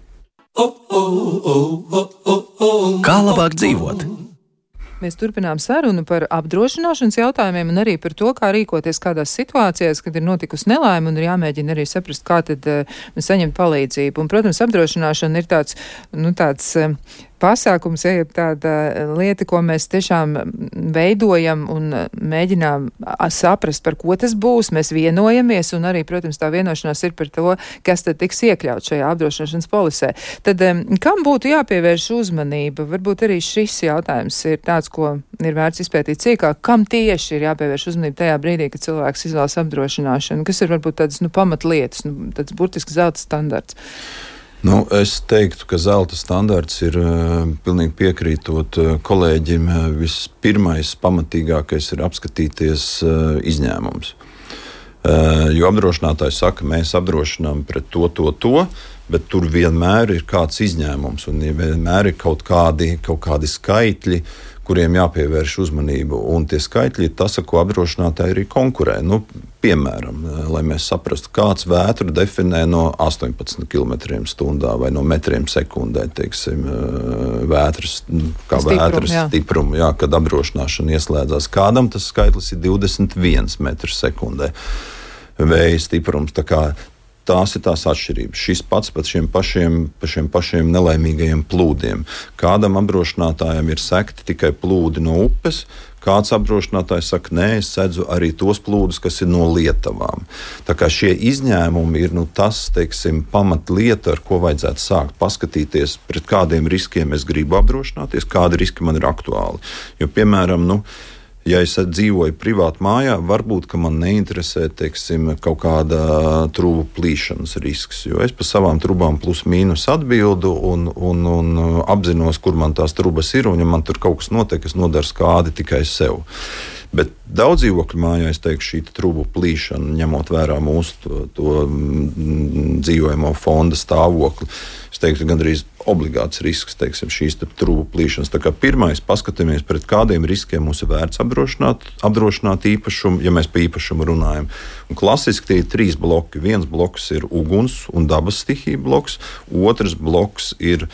Kā labāk dzīvot? Mēs turpinām sarunu par apdrošināšanas jautājumiem un arī par to, kā rīkoties kādās situācijās, kad ir notikusi nelaime un ir jāmēģina arī saprast, kā tad saņemt palīdzību. Un, protams, apdrošināšana ir tāds pasākums, ja tāda lieta, ko mēs tiešām veidojam un mēģinām saprast, par ko tas būs, mēs vienojamies, un arī, protams, tā vienošanās ir par to, kas tad tiks iekļaut šajā apdrošināšanas polisē. Tad kam būtu jāpievērš uzmanība? Varbūt arī šis jautājums ir tāds, ko ir vērts izpētīt cīkāk. Kam tieši ir jāpievērš uzmanība tajā brīdī, kad cilvēks izvēlas apdrošināšanu? Kas ir varbūt tādas pamatlietas, tāds burtiski zelta standarts? Es teiktu, ka zelta standarts ir, pilnīgi piekrītot kolēģim, vispirmais pamatīgākais ir apskatīties izņēmums. Jo apdrošinātājs saka, mēs apdrošinām pret to, bet tur vienmēr ir kāds izņēmums un vienmēr ir kaut kādi skaitļi, kuriem jāpievērš uzmanību. Un tie skaitļi ir tas, ar ko apdrošinātāji arī konkurē. Piemēram, lai mēs saprastu, kāds vētru definē no 18 km/h vai no metriem sekundē, teiksim, vētras, kā vētras stiprumu, kad apdrošināšana ieslēdzās. Kādam tas skaitlis ir 21 m/s vēja stiprums. Tās ir tās atšķirības. Šis pats par šiem pašiem nelaimīgajiem plūdiem. Kādam apdrošinātājam ir sekti tikai plūdi no upes, kāds apdrošinātājs saka, nē, es sedzu arī tos plūdus, kas ir no lietavām. Tā kā šie izņēmumi ir tas, teiksim, pamatlieta, ar ko vajadzētu sākt paskatīties, pret kādiem riskiem es gribu apdrošināties, kādi riski man ir aktuāli. Jo, piemēram, ja es dzīvoju privāti mājā, varbūt, ka man neinteresē, teiksim, kaut kāda trūbu plīšanas risks, jo es pa savām trubām plus mīnus atbildu un apzinos, kur man tās trubas ir, un ja man tur kaut kas notiek, es nodaru skādi tikai sev. Bet daudz dzīvokļu mājā, es teiktu, šī trubu plīšana, ņemot vērā mūsu to dzīvojamo fonda stāvokli, es teiktu, gandrīz obligāts risks, teiksim, šīs trubu plīšanas. Tā kā pirmais, paskatāmies, pret kādiem riskiem mums ir vērts apdrošināt īpašumu, ja mēs par īpašumu runājam. Un klasiski tie ir 3 bloki. Viens bloks ir uguns un dabas stihija bloks, otrs bloks ir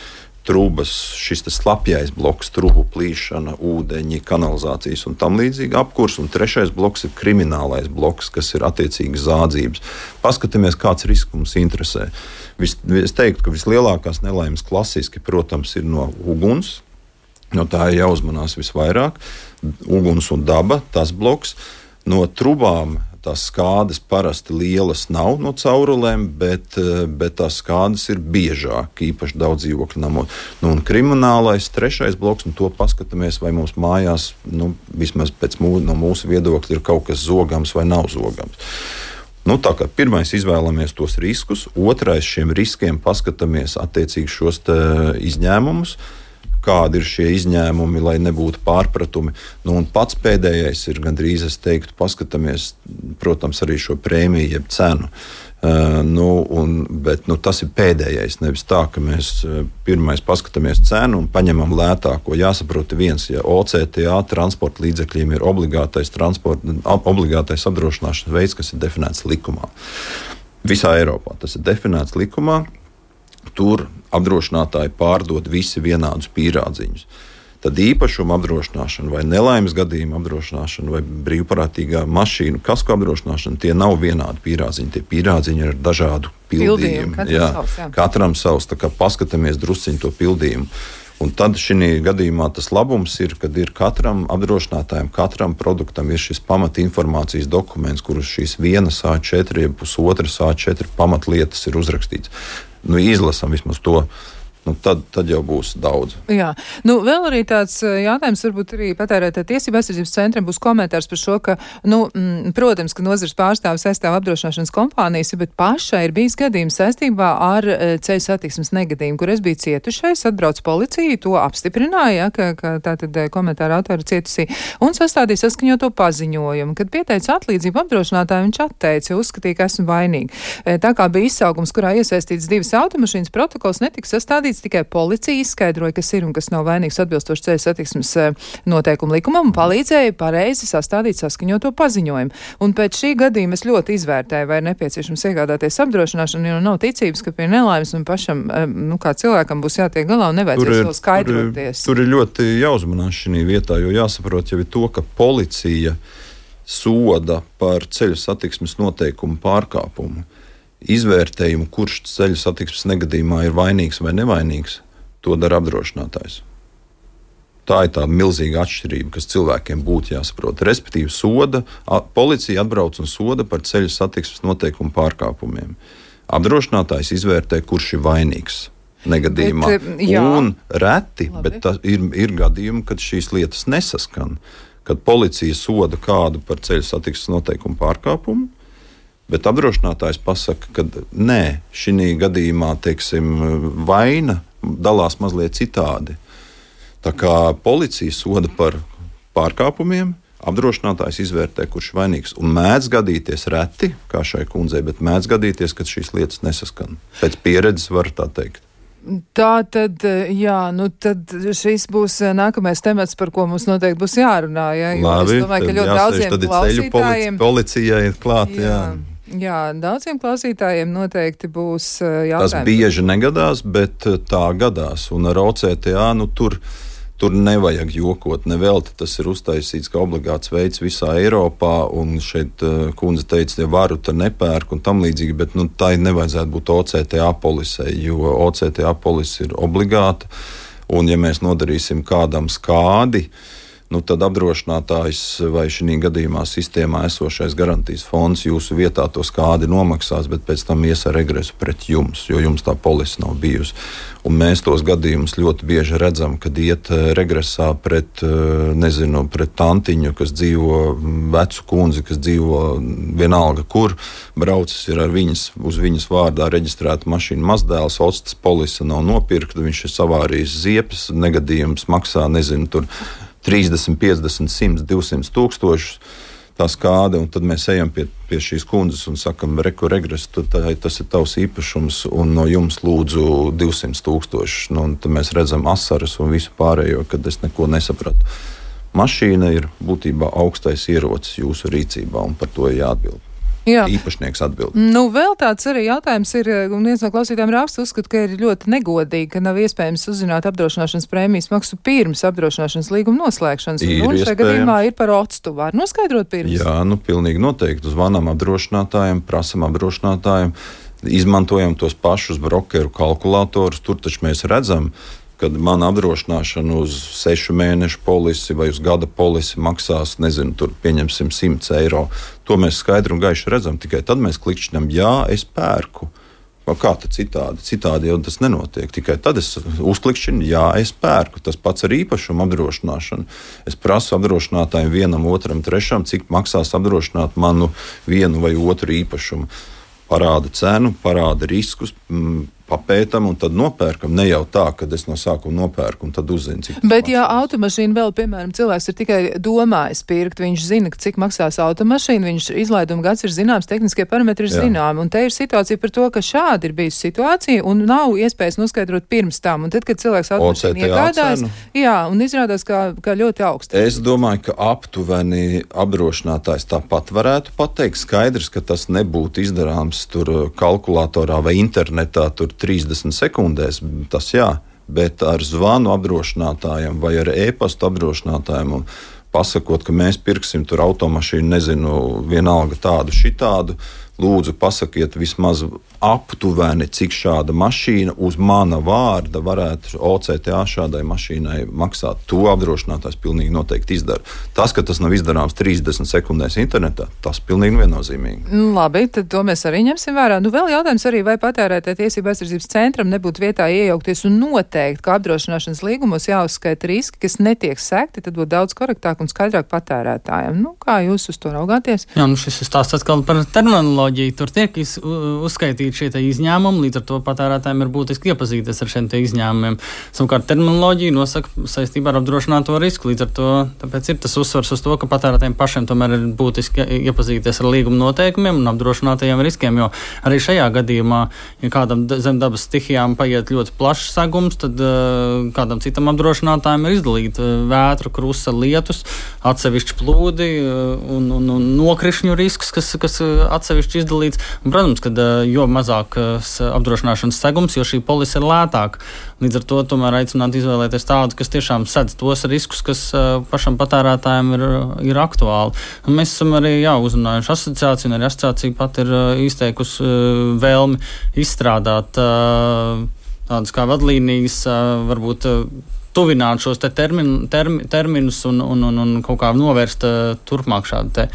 trūbas, šis slapjais bloks, trubu plīšana, ūdeņi, kanalizācijas un tam līdzīgi apkurs, un trešais bloks ir kriminālais bloks, kas ir attiecīgi zādzības. Paskatāmies, kāds risks mums interesē. Es teiktu, ka vislielākās nelaimes klasiski, protams, ir no uguns, no tā ir jāuzmanās visvairāk, uguns un daba, tas bloks, no trubām. Tās skādes parasti lielas nav no caurulēm, bet tās skādes ir biežāk, īpaši daudz dzīvokļu namos. Un kriminālais trešais bloks, to paskatāmies, vai mums mājās, vismaz no mūsu viedokļa, ir kaut kas zogams vai nav zogams. Tā kā pirmais izvēlamies tos riskus, otrais šiem riskiem paskatāmies attiecīgi šos izņēmumus, kādi ir šie izņēmumi, lai nebūtu pārpratumi. Un pats pēdējais ir gandrīz, es teiktu, paskatāmies, protams, arī šo prēmiju, jeb cenu. Bet tas ir pēdējais. Nevis tā, ka mēs pirmais paskatāmies cenu un paņemam lētāko. Jāsaprot viens, ja OCTA transporta līdzekļiem ir obligātais apdrošināšanas veids, kas ir definēts likumā. Visā Eiropā tas ir definēts likumā. Tur apdrošinātāji pārdod visi vienādus pīrādziņus. Tad īpašuma apdrošināšana vai nelaimes gadījuma apdrošināšana vai brīvprātīgā mašīnu kasko apdrošināšana, tie nav vienādi pīrādziņi. Tie pīrādziņi ir dažādu pildījumu. Katram savs. Tā kā paskatāmies drusciņu to pildījumu. Un tad šī gadījumā tas labums ir, kad ir katram apdrošinātājam, katram produktam ir šis pamatinformācijas dokuments, kurus šīs vienas A4, pusotras A4 pamatlietas ir uzrakstīts. Izlasam vismaz to. Tad jau būs daudz. Jā. Vēl arī tāds jautājums, varbūt arī patērētāju tiesību aizsardzības centram būs komentārs par šo, ka, protams, ka nozares pārstāvis aizstāv apdrošināšanas kompānijas, bet pašai ir bijis gadījums saistībā ar ceļu satiksmes negadījumu, kur es biju cietušais, atbrauc policija, to apstiprināja, ka tātad komentāra autori cietusī, un sastādīja saskaņoto paziņojumu. Kad pieteica atlīdzību apdrošinātāju, viņš atteica, uzskatīja, ka esmu vainīgi. Tā kā bija izsaukums, kurā iesaistīts 2 automašīnas, protokols netika sastādīts. Tikai policija izskaidroja, kas ir un kas nav vainīgs atbilstoši ceļu satiksmes noteikumu likumam un palīdzēja pareizi sastādīt saskaņoto paziņojumu. Un pēc šī gadījuma es ļoti izvērtēju, vai ir nepieciešams iegādāties apdrošināšanu, jo nav ticības, ka pie nelaimes un pašam, kā cilvēkam būs jātiek galā un nevajadzēs vēl skaidroties. Tur ir ļoti jāuzmanās šī vietā, jo jāsaprot jau ir to, ka policija soda par ceļu satiksmes noteikumu pārkāpumu. Izvērtējumu, kurš ceļu satiksmes negadījumā ir vainīgs vai nevainīgs, to dara apdrošinātājs. Tā ir tā milzīga atšķirība, kas cilvēkiem būtu jāsaprot. Respektīvi, policija atbrauc un soda par ceļu satiksmes noteikumu pārkāpumiem. Apdrošinātājs izvērtē, kurš ir vainīgs negadījumā. Un reti, bet ir gadījumi, kad šīs lietas nesaskan. Kad policija soda kādu par ceļu satiksmes noteikumu pārkāpumu, bet apdrošinātājs pasaka, ka nē, šī gadījumā, teiksim, vaina dalās mazliet citādi. Tā kā policija soda par pārkāpumiem, apdrošinātājs izvērtē, kurš ir vainīgs. Un mēdz gadīties reti, kā šai kundzei, bet mēdz gadīties, ka šīs lietas nesaskan. Pēc pieredzes var tā teikt. Tā tad, tad šis būs nākamais temats, par ko mums noteikti būs jārunā. Ja? Labi, es domāju, ka ļoti daudziem klausītājiem... Policijai ir klāt, Jā, daudziem klausītājiem noteikti būs jautājumi. Tas bieži negadās, bet tā gadās. Un ar OCTA, tur nevajag jokot, nevelti. Tas ir uztaisīts kā obligāts veids visā Eiropā, un šeit kundze teica, ja varu, tad nepērku un tam līdzīgi, bet tā nevajadzētu būt OCTA polisei, jo OCTA polise ir obligāta, un ja mēs nodarīsim kādam skādi, tad apdrošinātājs vai šī gadījumā sistēmā esošais garantijas fonds jūsu vietā to skādi nomaksās, bet pēc tam ies ar regresu pret jums, jo jums tā polise nav bijusi. Un mēs tos gadījumus ļoti bieži redzam, kad iet regresā pret tantiņu, kas dzīvo, vecu kundzi, kas dzīvo vienalga kur, braucis ir uz viņas vārdā reģistrēta mašīna mazdēls, otstas polise nav nopirkta, viņš ir savārījis ziepes, negadījums maksā, tur 30, 50, 100, 200 tūkstošus tā skāde, un tad mēs ejam pie šīs kundzes un sakam, regres, tas ir tavs īpašums, un no jums lūdzu 200 tūkstošus. Un tad mēs redzam asaras un visu pārējo, kad es neko nesapratu. Mašīna ir būtībā augstais ierocis jūsu rīcībā, un par to ir jāatbild. Jā. Īpašnieks atbild. Vēl tāds arī jautājums ir, un viens no klausītājiem raksta uzskata, ka ir ļoti negodīgi, ka nav iespējams uzzināt apdrošināšanas prēmijas maksu pirms apdrošināšanas līguma noslēgšanas. Un šajā gadījumā ir par octu. Var noskaidrot pirms? Jā, pilnīgi noteikti. Zvanām apdrošinātājiem, prasam apdrošinātājiem, izmantojam tos pašus brokeru kalkulatorus. Tur taču mēs redzam, kad man apdrošināšana uz 6 mēnešu polisi vai uz gada polisi maksās, tur pieņemsim 100 eiro. To mēs skaidri un gaiši redzam, tikai tad mēs klikšķinām, jā, es pērku. Kā tad citādi? Citādi jau tas nenotiek. Tikai tad es uzklikšķinu, jā, es pērku. Tas pats ar īpašumu apdrošināšanu. Es prasu apdrošinātājiem vienam, otram, trešam, cik maksās apdrošināt manu vienu vai otru īpašumu. Parāda cenu, parāda riskus, papētam un tad nopērkam. Ne jau tā, ka es no sākuma nopērku un tad uzzinu, cik tas Bet, ja automašīna vēl, piemēram, cilvēks ir tikai domājis pirkt, viņš zina, cik maksās automašīna, viņš izlaiduma gads ir zināms, tehniskie parametri ir zināmi. Un te ir situācija par to, ka šādi ir bijusi situācija un nav iespējas noskaidrot pirms tam. Un tad, kad cilvēks automašīna iegādājas, un izrādās, kā ļoti augsts. Es domāju, ka aptuveni apdrošinātājs tāpat varētu pateikt. Skaidrs, ka tas nebūtu izdarāms tur kalkulatorā vai internetā tur 30 sekundēs, tas jā, bet ar zvanu apdrošinātājiem vai ar e-pastu apdrošinātājiem un pasakot, ka mēs pirksim tur automašīnu, vienalga tādu, šitādu, lūdzu pasakiet vismaz aptuveni, cik šāda mašīna uz mana vārda varētu OCTA šādai mašīnai maksāt. To apdrošinātājs pilnīgi noteikti izdara. Tas, ka tas nav izdarāms 30 sekundēs internetā, tas pilnīgi viennozīmīgi. Labi, tad to mēs arī ņemsim vērā. Vēl jautājums arī, vai patērētāja tiesība aizsardzības centram nebūtu vietā iejaukties un noteikt, ka apdrošināšanas līgumos jāuzskaita riski, kas netiek sekti, tad būtu daudz korektāk un skaidrāk patērētājiem. Kā jūs uz to raugāties? Jā, šis ir stāsts atkal par terminoloģiju. Tur tiek uzskaitīti šie izņēmumi, līdz ar to patērētājiem ir būtiski iepazīties ar šiem izņēmumiem. Savukārt terminoloģija nosaka saistībā ar apdrošināto risku, līdz ar to tāpēc ir tas uzsvars uz to, ka patērētājiem pašiem tomēr ir būtiski iepazīties ar līguma noteikumiem un apdrošinātajiem riskiem, jo arī šajā gadījumā, ja kādam zem dabas stihijām paiet ļoti plašs segums, tad kādam citam apdrošinātājiem ir izdalīta vētra, krusa, lietus, atsevišķi plūdi un nokrišņu risks, kas atsevišķi izdalīts. Un, protams, ka jo mazāks apdrošināšanas segums, jo šī polise ir lētāka. Līdz ar to tomēr aicināt izvēlēties tādu, kas tiešām sedz tos riskus, kas pašam patērētājiem ir aktuāli. Un mēs esam arī uzrunājuši asociāciju, un arī asociācija pat ir izteikusi vēlmi izstrādāt tādas kā vadlīnijas, varbūt tuvināt šos terminus un kaut kā novērst turpmāk šādu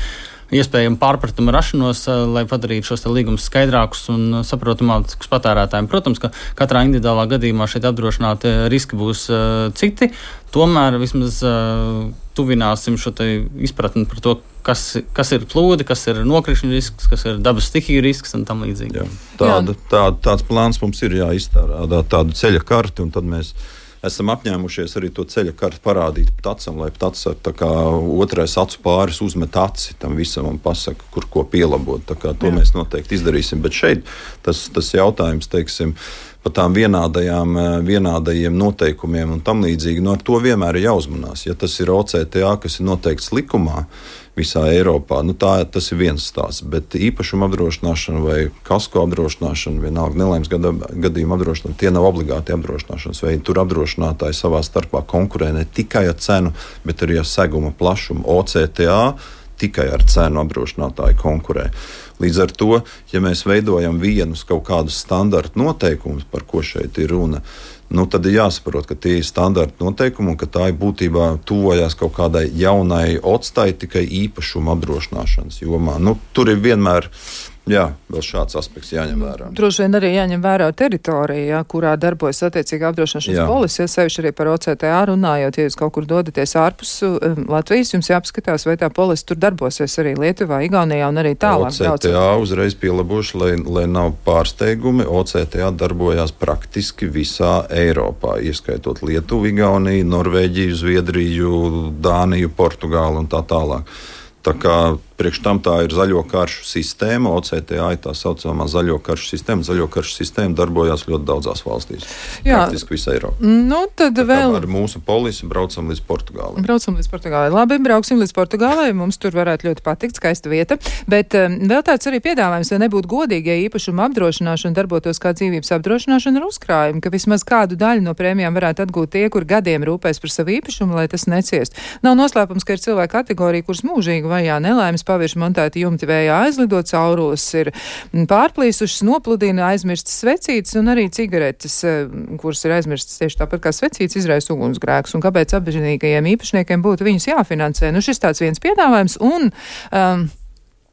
iespējamu pārpratumu rašanos, lai padarītu šos līgumus skaidrākus un saprotamākus patērētājiem. Protams, ka katrā individuālā gadījumā šeit apdrošināti riski būs citi, tomēr vismaz tuvināsim šo izpratni par to, kas ir plūdi, kas ir nokrišņu risks, kas ir dabas stihiju risks un tam līdzīgi. Tāds plāns mums ir jāizstrādā, tādu ceļa karti, un tad mēs esam apņēmušies arī to ceļa karti parādīt Ptacam, lai Ptats ar tā kā otrais acu pāris uzmet aci tam visam un pasaka, kur ko pielabot. Tā kā to mēs noteikti izdarīsim. Bet šeit tas jautājums, teiksim, par tām vienādajiem noteikumiem un tam līdzīgi, ar to vienmēr ir jāuzmanās. Ja tas ir OCTA, kas ir noteikts likumā visā Eiropā, tas ir viens stāsts, bet īpašuma apdrošināšana vai kasko apdrošināšana, vienalga nelaimes gadījuma apdrošināšana, tie nav obligāti apdrošināšanas veidi. Tur apdrošinātāji savā starpā konkurē ne tikai ar cenu, bet arī ar seguma plašumu. OCTA tikai ar cenu apdrošinātāji konkurē. Līdz ar to, ja mēs veidojam vienus kaut kādus standarta noteikumus, par ko šeit ir runa, tad ir jāsaprot, ka tie ir standarta noteikumi un ka tā ir būtībā tuvojās kaut kādai jaunai otstai tikai īpašuma apdrošināšanas jomā. Tur ir vienmēr vēl šāds aspekts jāņem vērā. Droši vien arī jāņem vērā teritorija, kurā darbojas attiecīgi apdrošināšanas polise, sevišķi arī par OCTA runājot, ja jūs kaut kur dodaties ārpus Latvijas, jums jāapskatās, vai tā polise tur darbosies arī Lietuvā, Igaunijā un arī tālāk. OCTA uzreiz pielabošu, lai nav pārsteigumi, OCTA darbojās praktiski visā Eiropā, ieskaitot Lietuvu, Igauniju, Norvēģiju, Zviedriju, Dāniju, Portugālu un tā tālāk. Tā kā priekš tam tā ir zaļo karšu sistēma, OCTA ir tā saucamā zaļo karšu sistēma. Zaļo karšu sistēma darbojās ļoti daudzās valstīs. Praktiski visā Eiropā. Tad vēl ar mūsu polisi braucam līdz Portugālei. Labi, brauksim līdz Portugālei. Mums tur varētu ļoti patikt, skaista vieta. Bet vēl tāds arī piedāvājums, ja nebūtu godīgi, ja īpašuma apdrošināšana darbotos kā dzīvības apdrošināšana ar uzkrājumu, ka vismaz kādu daļu no prēmijām varētu atgūt tie, kur gadiem rūpēs par savu īpašumu, lai tas neciest. Nav noslēpums, ka ir cilvēku kategorija, kuras mūžīgi vajā nelaimes pavirši montēti jumti vējā aizlido, caurules ir pārplīsušas, nopludina, aizmirstas svecītes un arī cigaretes, kuras ir aizmirstas tieši tāpat kā svecītes, izraisa ugunsgrēkus. Un kāpēc apzinīgajiem īpašniekiem būtu viņus jāfinansē? Šis tāds viens piedāvājums un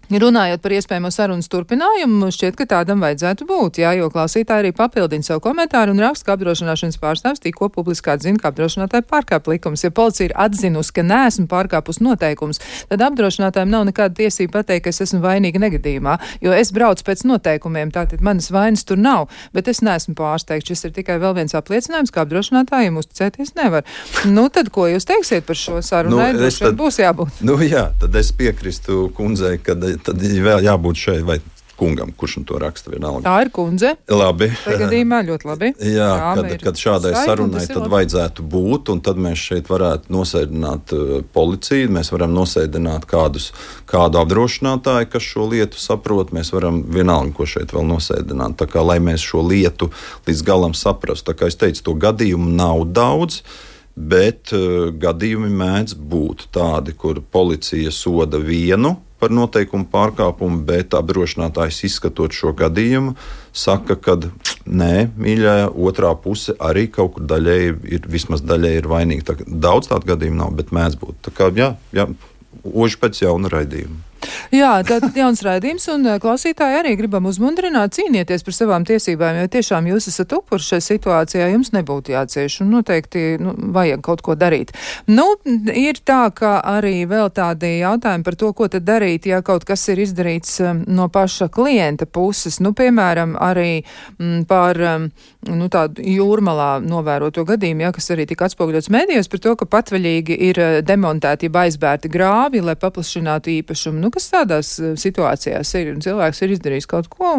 runājot par iespējamo sarunas turpinājumu, šķiet, ka tādam vajadzētu būt, jo klausītāji arī papildina savu komentāru un raksta, ka apdrošināšanas pārstāvs tikko publiski atzina, ka apdrošinātāji pārkāp likumus. Ja policija ir atzinusi, ka neesmu pārkāpus noteikumus, tad apdrošinātājiem nav nekāda tiesība pateikt, ka es esmu vainīga negadījumā, jo es braucu pēc noteikumiem, tātad manas vainas tur nav, bet es neesmu pārsteigts. Šis ir tikai vēl viens apliecinājums, ka apdrošinātājiem uzticēties nevar. Tad ko jūs teiksiet par šo sarunu? Būs jābūt. Tad es piekristu kundzei, tad vēl jābūt šeit vai kungam, kurš to raksta vienalga. Tā ir kundze. Labi. Gadījumā ļoti labi. Kad šādai sarunai tad vajadzētu būt, un tad mēs šeit varētu nosēdināt policiju, mēs varam nosēdināt kādu apdrošinātāju, kas šo lietu saprot, mēs varam vienalga, ko šeit vēl nosēdināt. Tā kā, lai mēs šo lietu līdz galam saprastu. Tā kā es teicu, to gadījumu nav daudz, bet gadījumi mēdz būt tādi, kur policija soda vienu par noteikumu pārkāpumu, bet apdrošinātājs izskatot šo gadījumu, saka, ka nē, mīļā, otrā puse arī kaut kur vismaz daļēji ir vainīga. Daudz tādu gadījumu nav, bet mēdz būt. Tā kā, oži pēc jauna raidījuma. Tātad jauns raidījums, un klausītāji arī gribam uzmundrināt, cīnieties par savām tiesībām, jo tiešām jūs esat upuri šajā situācijā, jums nebūtu jācieš, un noteikti vajag kaut ko darīt. Ir tā, ka arī vēl tādi jautājumi par to, ko tad darīt, ja kaut kas ir izdarīts no paša klienta puses, piemēram, arī par tādu jūrmalā novēroto gadījumu, kas arī tika atspoguļots medijos par to, ka patvaļīgi ir demontēti, ja aizbērti grāvi, lai paplašinātu īpašumu. Kas tādās situācijās ir? Un cilvēks ir izdarījis kaut ko?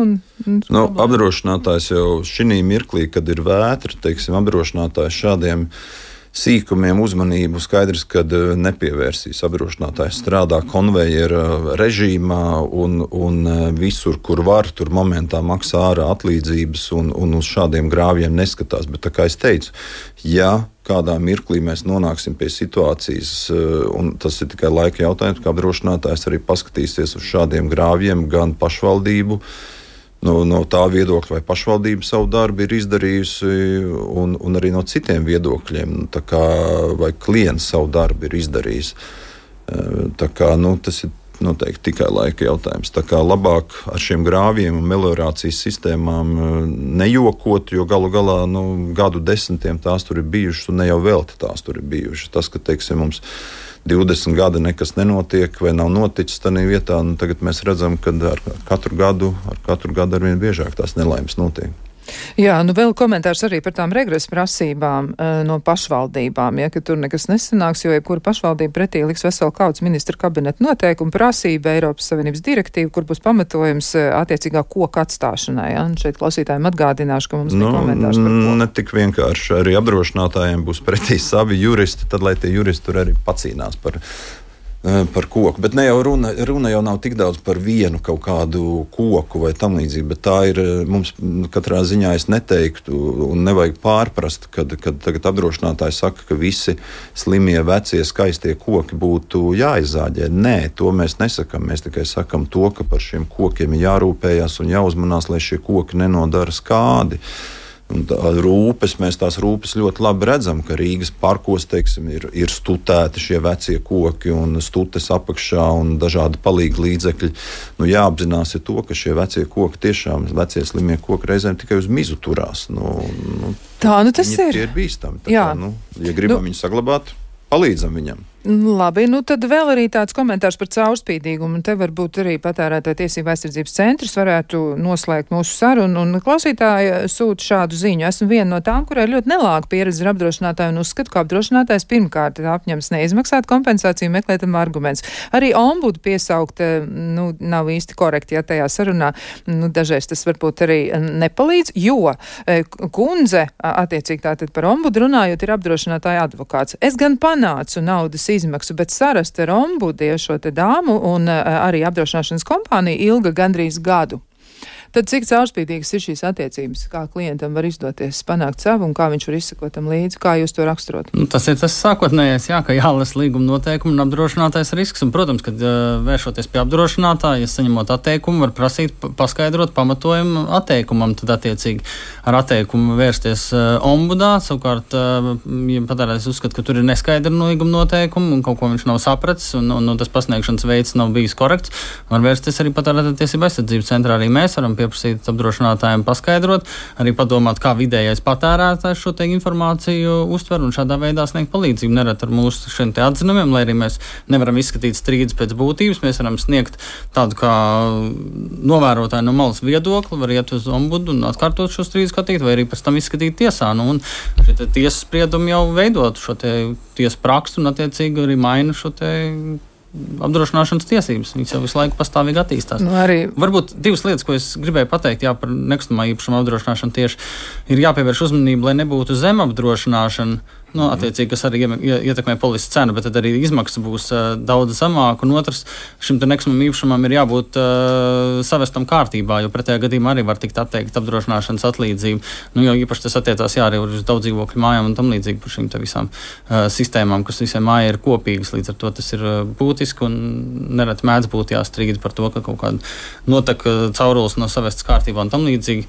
Apdrošinātājs jau šī mirklī, kad ir vētra, apdrošinātājs šādiem sīkumiem uzmanību skaidrs, kad nepievērsīs. Apdrošinātājs strādā konvejera režīmā un visur, kur var, tur momentā maksā ārā atlīdzības un uz šādiem grāvjiem neskatās. Bet tā kā es teicu, kādā mirklī mēs nonāksim pie situācijas, un tas ir tikai laika jautājums, ka apdrošinātājs arī paskatīsies uz šādiem grāvjiem gan pašvaldību No tā viedokļa, vai pašvaldība savu darbu ir izdarījusi, un arī no citiem viedokļiem, tā kā vai klients savu darbu ir izdarījis. Tā kā, tas ir noteikti tikai laika jautājums. Tā kā labāk ar šiem grāviem un meliorācijas sistēmām nejokot, jo galu galā gadu desmitiem tās tur ir bijušas, un ne jau velti tās tur ir bijušas. Tas, ka, teiksim, mums 20 gadi nekas nenotiek vai nav noticis tādā vietā, tagad mēs redzam, ka ar katru gadu arvien biežāk tās nelaimes notiek. Jā, vēl komentārs arī par tām regresa prasībām no pašvaldībām, ka tur nekas nesanāks, jo jebkura pašvaldība pretī liks veselu kaudzes ministra kabineta noteikumu prasība Eiropas Savienības direktīva, kur būs pamatojums attiecīgā koka atstāšanai. Ja? Un šeit klausītājiem atgādināšu, ka mums bija komentārs par koku. Ne tik vienkārši, arī apdrošinātājiem būs pretī savi juristi, tad lai tie juristi tur arī pacīnās par koku. Bet ne jau runa jau nav tik daudz par vienu kaut kādu koku vai tam līdzīgi, bet tā ir mums katrā ziņā es neteiktu un nevajag pārprast, kad tagad apdrošinātāji saka, ka visi slimie, vecie, skaistie koki būtu jāizzāģē. Nē, to mēs nesakam. Mēs tikai sakam to, ka par šiem kokiem ir jārūpējās un jāuzmanās, lai šie koki nenodara skādi. Un mēs tās rūpes ļoti labi redzam, ka Rīgas parkos, teiksim, ir stutēti šie vecie koki un stutes apakšā un dažādi palīgi līdzekļi. Jāapzinās ir to, ka šie vecie koki tiešām, vecie slimie koki reizēm tikai uz mizu turās. Tā tas ir. Tie ir bīstami. Ja gribam viņu saglabāt, palīdzam viņam. Labi, tad vēl arī tāds komentārs par caurspīdīgumu, un te varbūt arī Patērētāju tiesību aizsardzības centrs varētu noslēgt mūsu sarunu, un klausītāji sūta šādu ziņu. Esmu viena no tām, kurai ļoti nelāga pieredze ar apdrošinātāju, un uzskatu, ka apdrošinātājs pirmkārt apņems neizmaksāt kompensāciju, meklētam arguments. Arī ombudu piesaukt, nav īsti korekti, ja tajā sarunā, dažreiz tas varbūt arī nepalīdz, jo kundze, attiecīgi tātad par ombudu runājot, ir apdrošinātāja advokāts. Es gan panācu naudas izmaksu, bet sarast ar ombudu šo te dāmu un arī apdrošināšanas kompāniju ilga gandrīz gadu. Tad cik caurspīdīgas ir šīs attiecības, kā klientam var izdoties panākt savu un kā viņš var izsekot tam līdzi, kā jūs to raksturot? Tas ir tas sākotnējais, ka jālasa līguma noteikumi un apdrošinātais risks. Un, protams, kad vēršoties pie apdrošinātāja, ja saņemot atteikumu, var prasīt paskaidrot pamatojumu atteikumam, tad attiecīgi ar atteikumu vērsties ombudā. Savukārt, ja patērētājs uzskata, ka tur ir neskaidra līguma noteikumi un kaut ko viņš nav sapratis un tas pasniegšanas veids nav bijis korekts, var vērsties arī Patērētāju tiesību aizsardzības centrā. Arī mēs varam pieprasīt apdrošinātājiem paskaidrot, arī padomāt, kā vidējais patērētājs šo te informāciju uztver un šādā veidā sniegt palīdzību. Nerad ar mūsu šiem te atzinumiem, lai arī mēs nevaram izskatīt strīdus pēc būtības, mēs varam sniegt tādu kā novērotāju no malas viedokli, var iet uz ombudu un atkārtot šo strīdu skatīt, vai arī pēc tam izskatīt tiesā. Un šie te tiesas spriedumi jau veidot šo te tiesu praksu un attiecīgi arī maina šo te apdrošināšanas tiesības. Viņas jau visu laiku pastāvīgi attīstās. Varbūt divas lietas, ko es gribēju pateikt, par nekustamā īpašuma apdrošināšanu tieši ir jāpievērš uzmanība, lai nebūtu zemapdrošināšana, attiecīgi, kas arī ietekmē polises cenu, bet tad arī izmaksas būs daudz zemāk, un otrs, šim te nekustamam īpašumam ir jābūt savestam kārtībā, jo pretējā gadījumā arī var tikt atteikt apdrošināšanas atlīdzību. Jo īpaši tas attiecās arī uz daudz dzīvokļu mājām un tam līdzīgi par šīm te visām sistēmām, kas visiem mājai ir kopīgas, līdz ar to tas ir būtiski un nereti mēdz būt jāstrīd par to, ka kaut kāda notek caurules no savestas kārtībā un tam līdzīgi.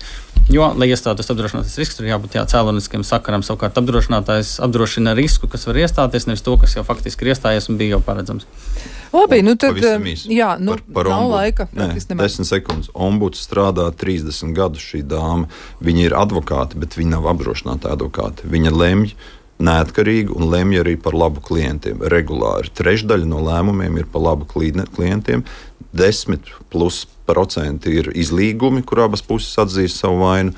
Jo, lai iestātos apdrošinātais risks, tur jābūt cēloniskiem sakaram. Savukārt apdrošinātājs apdrošina risku, kas var iestāties, nevis to, kas jau faktiski ir iestājies un bija jau paredzams. Labi, tad par nav laika. 10 sekundes. Ombuds strādā 30 gadus šī dāma. Viņa ir advokāti, bet viņa nav apdrošinātāja advokāti. Viņa lemj neatkarīgi un lemj arī par labu klientiem. Regulāri. Trešdaļa no lēmumiem ir par labu klientiem. 10% ir izlīgumi, kur abas puses atzīst savu vainu,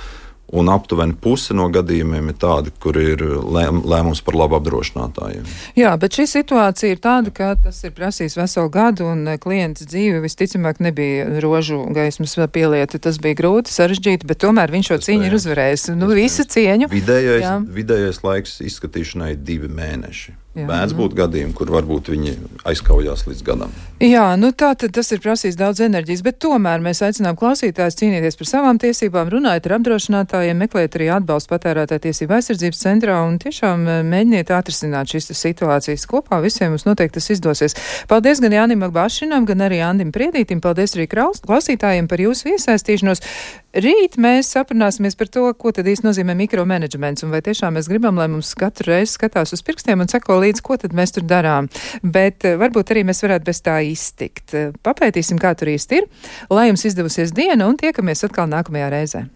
un aptuveni puse no gadījumiem ir tādi, kur ir lēmums par labu apdrošinātājiem. Jā, bet šī situācija ir tāda, ka tas ir prasījis veselu gadu, un klients dzīve visticamāk nebija rožu gaismas pielieta. Tas bija grūti, sarežģīti, bet tomēr viņš šo cīņu ir uzvarējis. Visu cieņu. Vidējais laiks izskatīšanai ir 2 mēneši. Mēdz būt gadījumi, kur varbūt viņi aizkaujās līdz gadam. Jā, tā tad tas ir prasījis daudz enerģijas, bet tomēr mēs aicinām klausītājus cīnīties par savām tiesībām, runājot ar apdrošinātājiem, meklēt arī atbalstu patērētāju tiesību aizsardzības centrā un tiešām mēģiniet atrisināt šīs situācijas kopā. Visiem mums noteikti tas izdosies. Paldies gan Jānim Bašinam, gan arī Andim Priedītim. Paldies arī klausītājiem par jūsu iesaistīšanos. Rīt mēs aprunāsimies par to, ko tad īsti nozīmē mikromanagements un vai tiešām mēs gribam, lai mums katru reizi skatās uz pirkstiem un seko līdz, ko tad mēs tur darām. Bet varbūt arī mēs varētu bez tā iztikt. Papētīsim, kā tur īsti ir. Lai jums izdevusies diena un tiekamies atkal nākamajā reizē.